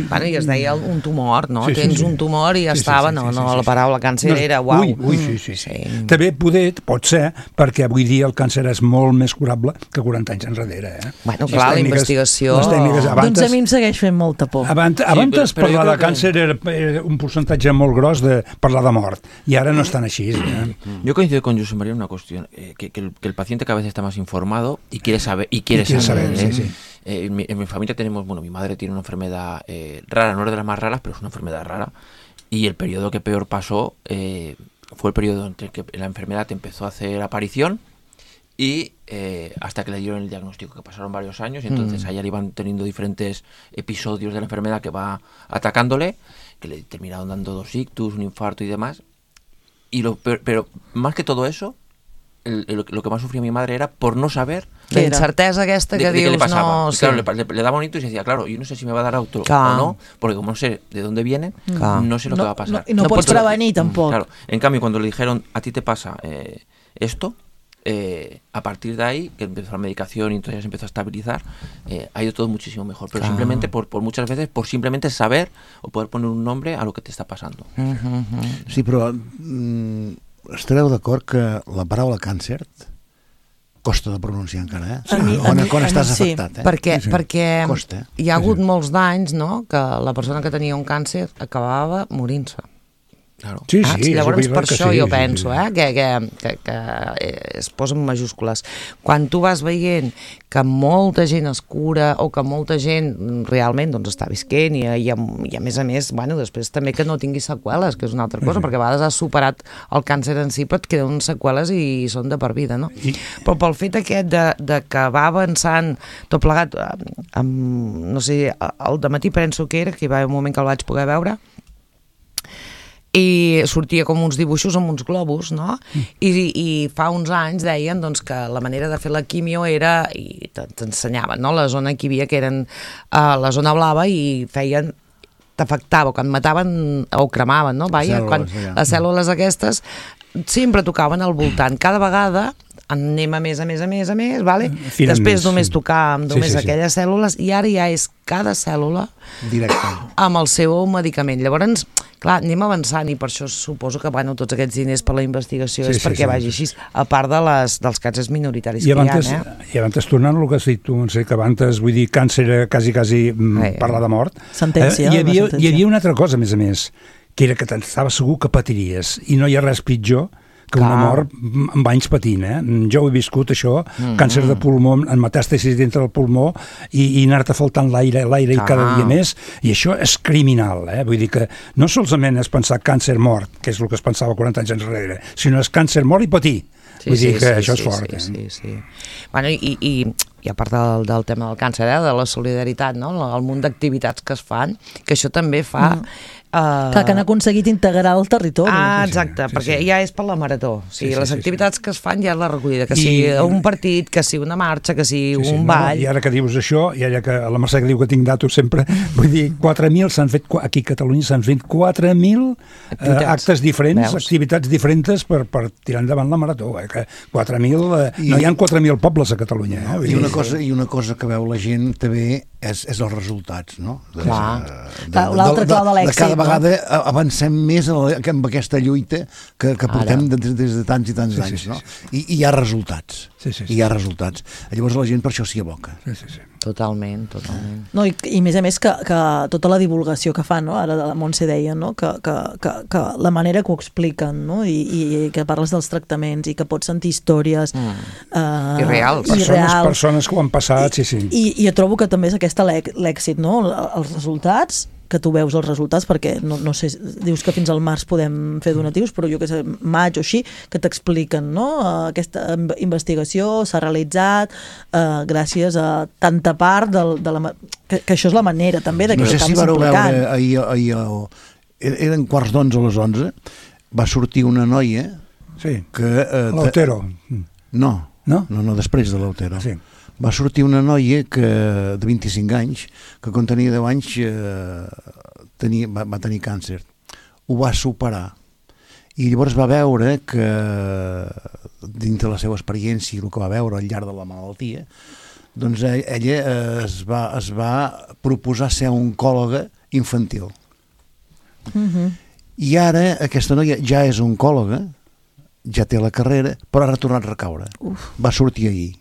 Bueno, i es deia un tumor, no? Sí, sí, Tens sí. un tumor i ja sí, estava, sí, sí, no, sí, no, sí, la paraula càncer no, era uau. Ui, ui, sí, sí, sí. sí. També poder, pot ser, perquè avui dia el càncer és molt més curable que quaranta anys enrere, eh? Bueno, sí, clar, la investigació... Les tècniques, abans, doncs a mi em segueix fent molta por. Abans, abans sí, però, però parlar de que... càncer era, era un percentatge molt gros de parlar de mort, i ara no estan així. Eh? Yo coincido con José María en una cuestión, eh, que, que, el, que el paciente cada vez está más informado y quiere saber, y quiere, y quiere saber, saber ¿eh? sí, sí. Eh, en, mi, en mi familia tenemos, bueno, mi madre tiene una enfermedad eh, rara, no es de las más raras, pero es una enfermedad rara, y el periodo que peor pasó eh, fue el periodo en el que la enfermedad empezó a hacer aparición y eh, hasta que le dieron el diagnóstico, que pasaron varios años, y entonces mm. allá le iban teniendo diferentes episodios de la enfermedad que va atacándole, que le terminaron dando dos ictus, un infarto y demás, y lo peor, pero más que todo eso, el, el, lo que más sufría mi madre era por no saber la incerteza aquesta que de, de dius qué le pasaba. no... Y claro, le, le, le daba un ictus y decía, claro, yo no sé si me va a dar auto Clar. o no, porque como no sé de dónde viene, Clar. no sé lo no, que va a pasar. No, y no, no pots prevenir tampoc. Claro, en cambio, cuando le dijeron, a ti te pasa eh, esto, eh, a partir de ahí, que empezó la medicación y entonces ya se empezó a estabilizar, eh, ha ido todo muchísimo mejor. Pero Clar. simplemente, por, por muchas veces, por simplemente saber o poder poner un nombre a lo que te está pasando. Uh-huh. Sí, però mm, estareu d'acord que la paraula càncer costa de pronunciar encara, eh? A mi, quan, a mi, quan a estàs mi sí. afectat, eh? Perquè, Sí, sí. perquè Costa. hi ha hagut molts d'anys, no?, que la persona que tenia un càncer acabava morint-se. Claro. Sí, Ah, sí, llavors és per que això sí, jo sí, penso sí. Eh, que, que, que, que es posa en majúscules. Quan tu vas veient que molta gent es cura o que molta gent realment doncs, està visquent i, i, i a més a més, bueno, després també que no tingui seqüeles, que és una altra cosa, Sí. perquè a vegades has superat el càncer en si però et queden seqüeles i són de per vida, no? I... Però pel fet aquest de, de que va avançant tot plegat, amb, no sé, al dematí penso que era, que hi va haver un moment que el vaig poder veure, i sortia com uns dibuixos amb uns globus, no? I, i fa uns anys deien doncs, que la manera de fer la quimio era, i t'ensenyaven, no? La zona que hi havia, que eren uh, la zona blava, i feien t'afectava, quan mataven o cremaven, no? Vaja, Cèl·lules, quan ja. les cèl·lules aquestes sempre tocaven al voltant. Cada vegada anem a més, a més, a més, a més, vale? Filen Després més, només sí. tocar amb només Sí, sí, sí. aquelles cèl·lules, i ara ja és cada cèl·lula Directe. amb el seu medicament. Llavors, clar, anem avançant, i per això suposo que bueno, tots aquests diners per la investigació Sí, és sí, perquè sí. vagi així, a part de les, dels càncers minoritaris I que abans, hi ha, eh? I abans, tornant al que has dit tu, sé que abans, vull dir, càncer era quasi, quasi mm, Eh. parlar de mort. Sentència, Eh, hi, havia, una sentència. hi havia una altra cosa, a més a més, que era que t'estava segur que patiries, i no hi ha res pitjor que una mort amb anys patint, eh? Jo ho he viscut, això, mm-hmm. càncer de pulmó, en metàstasis dintre del pulmó, i, i anar-te faltant l'aire, l'aire i cada dia més, i això és criminal, eh? Vull dir que no solament és pensar càncer mort, que és el que es pensava quaranta anys enrere, sinó és càncer mort i patir. Sí, Vull dir sí, que sí, això sí, és fort. Sí, eh? sí, sí. Bueno, i, i, i a part del, del tema del càncer, eh, de la solidaritat, no? El munt d'activitats que es fan, que això també fa... Mm. Uh... Que, que han aconseguit integrar el territori. Ah, exacte, sí, sí, perquè sí. ja és per la marató. O sigui, sí, sí, les activitats sí, sí. que es fan ja és la recollida, que I... sigui un partit, que sigui una marxa, que sigui sí, sí, un ball... No, I ara que dius això, i ara que la Mercè que diu que tinc datos sempre, vull dir, quatre mil s'han fet, aquí a Catalunya s'han fet quatre mil eh, actes diferents, Veus? activitats diferents per, per tirar endavant la marató. Eh, que quatre mil, eh, I... no hi ha quatre mil pobles a Catalunya. Eh, I, una cosa, I una cosa que veu la gent també és, és els resultats, no? De, Clar. De, de, l'altre clau de l'èxit. De cada vegada no? avancem més amb aquesta lluita que, que portem des, des de tants i tants sí, anys, sí, sí, no? I, I hi ha resultats. Sí, sí, sí. I hi ha resultats. Llavors la gent per això s'hi aboca. Sí, sí, sí. Totalment, totalment. No, i, i a més a més que, que tota la divulgació que fan, no? Ara la Montse deia, no? que, que, que, que la manera que ho expliquen, no? I, i que parles dels tractaments i que pots sentir històries mm. uh, i reals. I persones, reals. persones que ho han passat, sí, sí. I, i jo trobo que també és aquesta l'èxit, no? Els resultats, que tu veus els resultats, perquè no, no sé, dius que fins al març podem fer donatius, però jo que sé, maig o així, que t'expliquen, no? Aquesta investigació s'ha realitzat uh, gràcies a tanta part del, de la... Que, que això és la manera també de que no sé acabis si vareu implicant. Veure ahir, ahir, ahir, eren quarts d'onze a les onze, va sortir una noia sí. que... Uh, L'Otero. No, no, no, no després de l'Otero. Sí. Va sortir una noia que, de vint-i-cinc anys, que quan tenia deu anys eh, tenia, va, va tenir càncer. Ho va superar. I llavors va veure que, dintre de la seva experiència i el que va veure al llarg de la malaltia, doncs ella es va, es va proposar ser oncòloga infantil. Mm-hmm. I ara aquesta noia ja és oncòloga, ja té la carrera, però ha retornat a recaure. Uf. Va sortir ahir.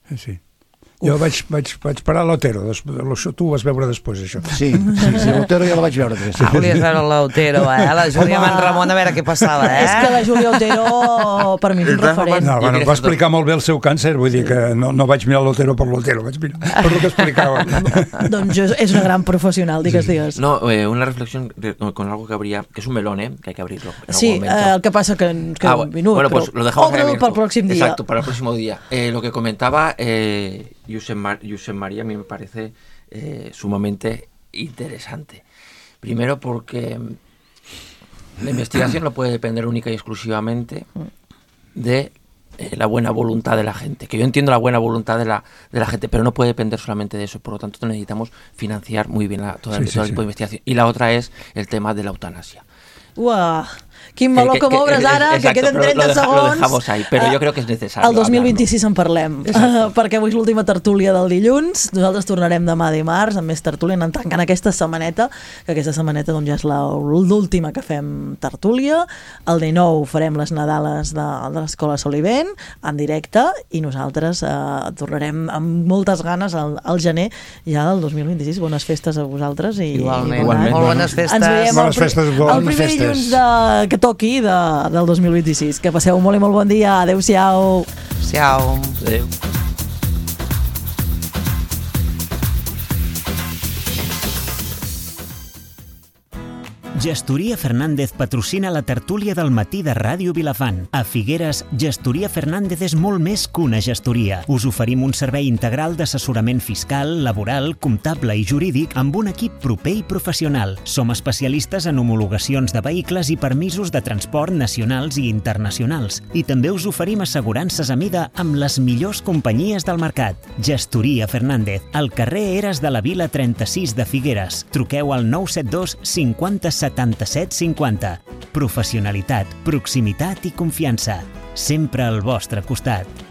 Sí, sí. Jo vaig, vaig, vaig parar a l'Otero, tu ho vas veure després, això. Sí, sí, sí l'Otero ja la vaig veure. Ah, volies veure l'Otero, eh? La Júlia Manramon, a veure què passava, eh? És que la Júlia Otero, per mi, és un referent. No, bueno, va explicar molt bé el seu càncer, vull dir que no, no vaig mirar l'Otero per l'Otero, vaig mirar per el que explicava. Doncs és una gran professional, digues, digues. No, eh, una reflexión con algo que habría, que es un melón, ¿eh? Que hay que abrirlo. Sí, eh, el que pasa que, que ah, un minut, bueno, pues pero... lo dejamos Obre para el próximo día. Exacto, para el próximo día. Eh, lo que comentaba eh, Josep, Mar Josep María a mí me parece eh, sumamente interesante. Primero porque la investigación no puede depender única y exclusivamente de eh, la buena voluntad de la gente. Que yo entiendo la buena voluntad de la, de la gente, pero no puede depender solamente de eso. Por lo tanto, necesitamos financiar muy bien la, toda, sí, todo sí, el tipo sí. de investigación. Y la otra es el tema de la eutanasia. Uah, quin meló que, que, que m'obres ara, exacto, que queden trenta lo deja, segons. Lo dejamos ahí, però jo crec que és necessari. El dos mil vint-i-sis en parlem, uh, perquè avui és l'última tertúlia del dilluns. Nosaltres tornarem demà dimarts amb més tertúlia, anant tancant aquesta setmaneta, que aquesta setmaneta doncs, ja és l'última que fem tertúlia. El dinou farem les Nadales de, de l'Escola Solivent en directe i nosaltres uh, tornarem amb moltes ganes al, al gener ja del dos mil vint-i-sis. Bones festes a vosaltres. I, Igualment, i Igualment. Molt bones festes. Ens veiem bones festes, el, el primer festes. dilluns de, que toqui de, del dos mil vint-i-sis. Que passeu molt i molt bon dia. Adéu-siau. Adéu-siau. Adéu. Gestoria Fernández patrocina la tertúlia del matí de Ràdio Vilafant. A Figueres, Gestoria Fernández és molt més que una gestoria. Us oferim un servei integral d'assessorament fiscal, laboral, comptable i jurídic amb un equip proper i professional. Som especialistes en homologacions de vehicles i permisos de transport nacionals i internacionals. I també us oferim assegurances a mida amb les millors companyies del mercat. Gestoria Fernández, al carrer Eres de la Vila trenta-sis de Figueres. Truqueu al nou set dos cinquanta setanta-set cinquanta. Professionalitat, proximitat i confiança. Sempre al vostre costat.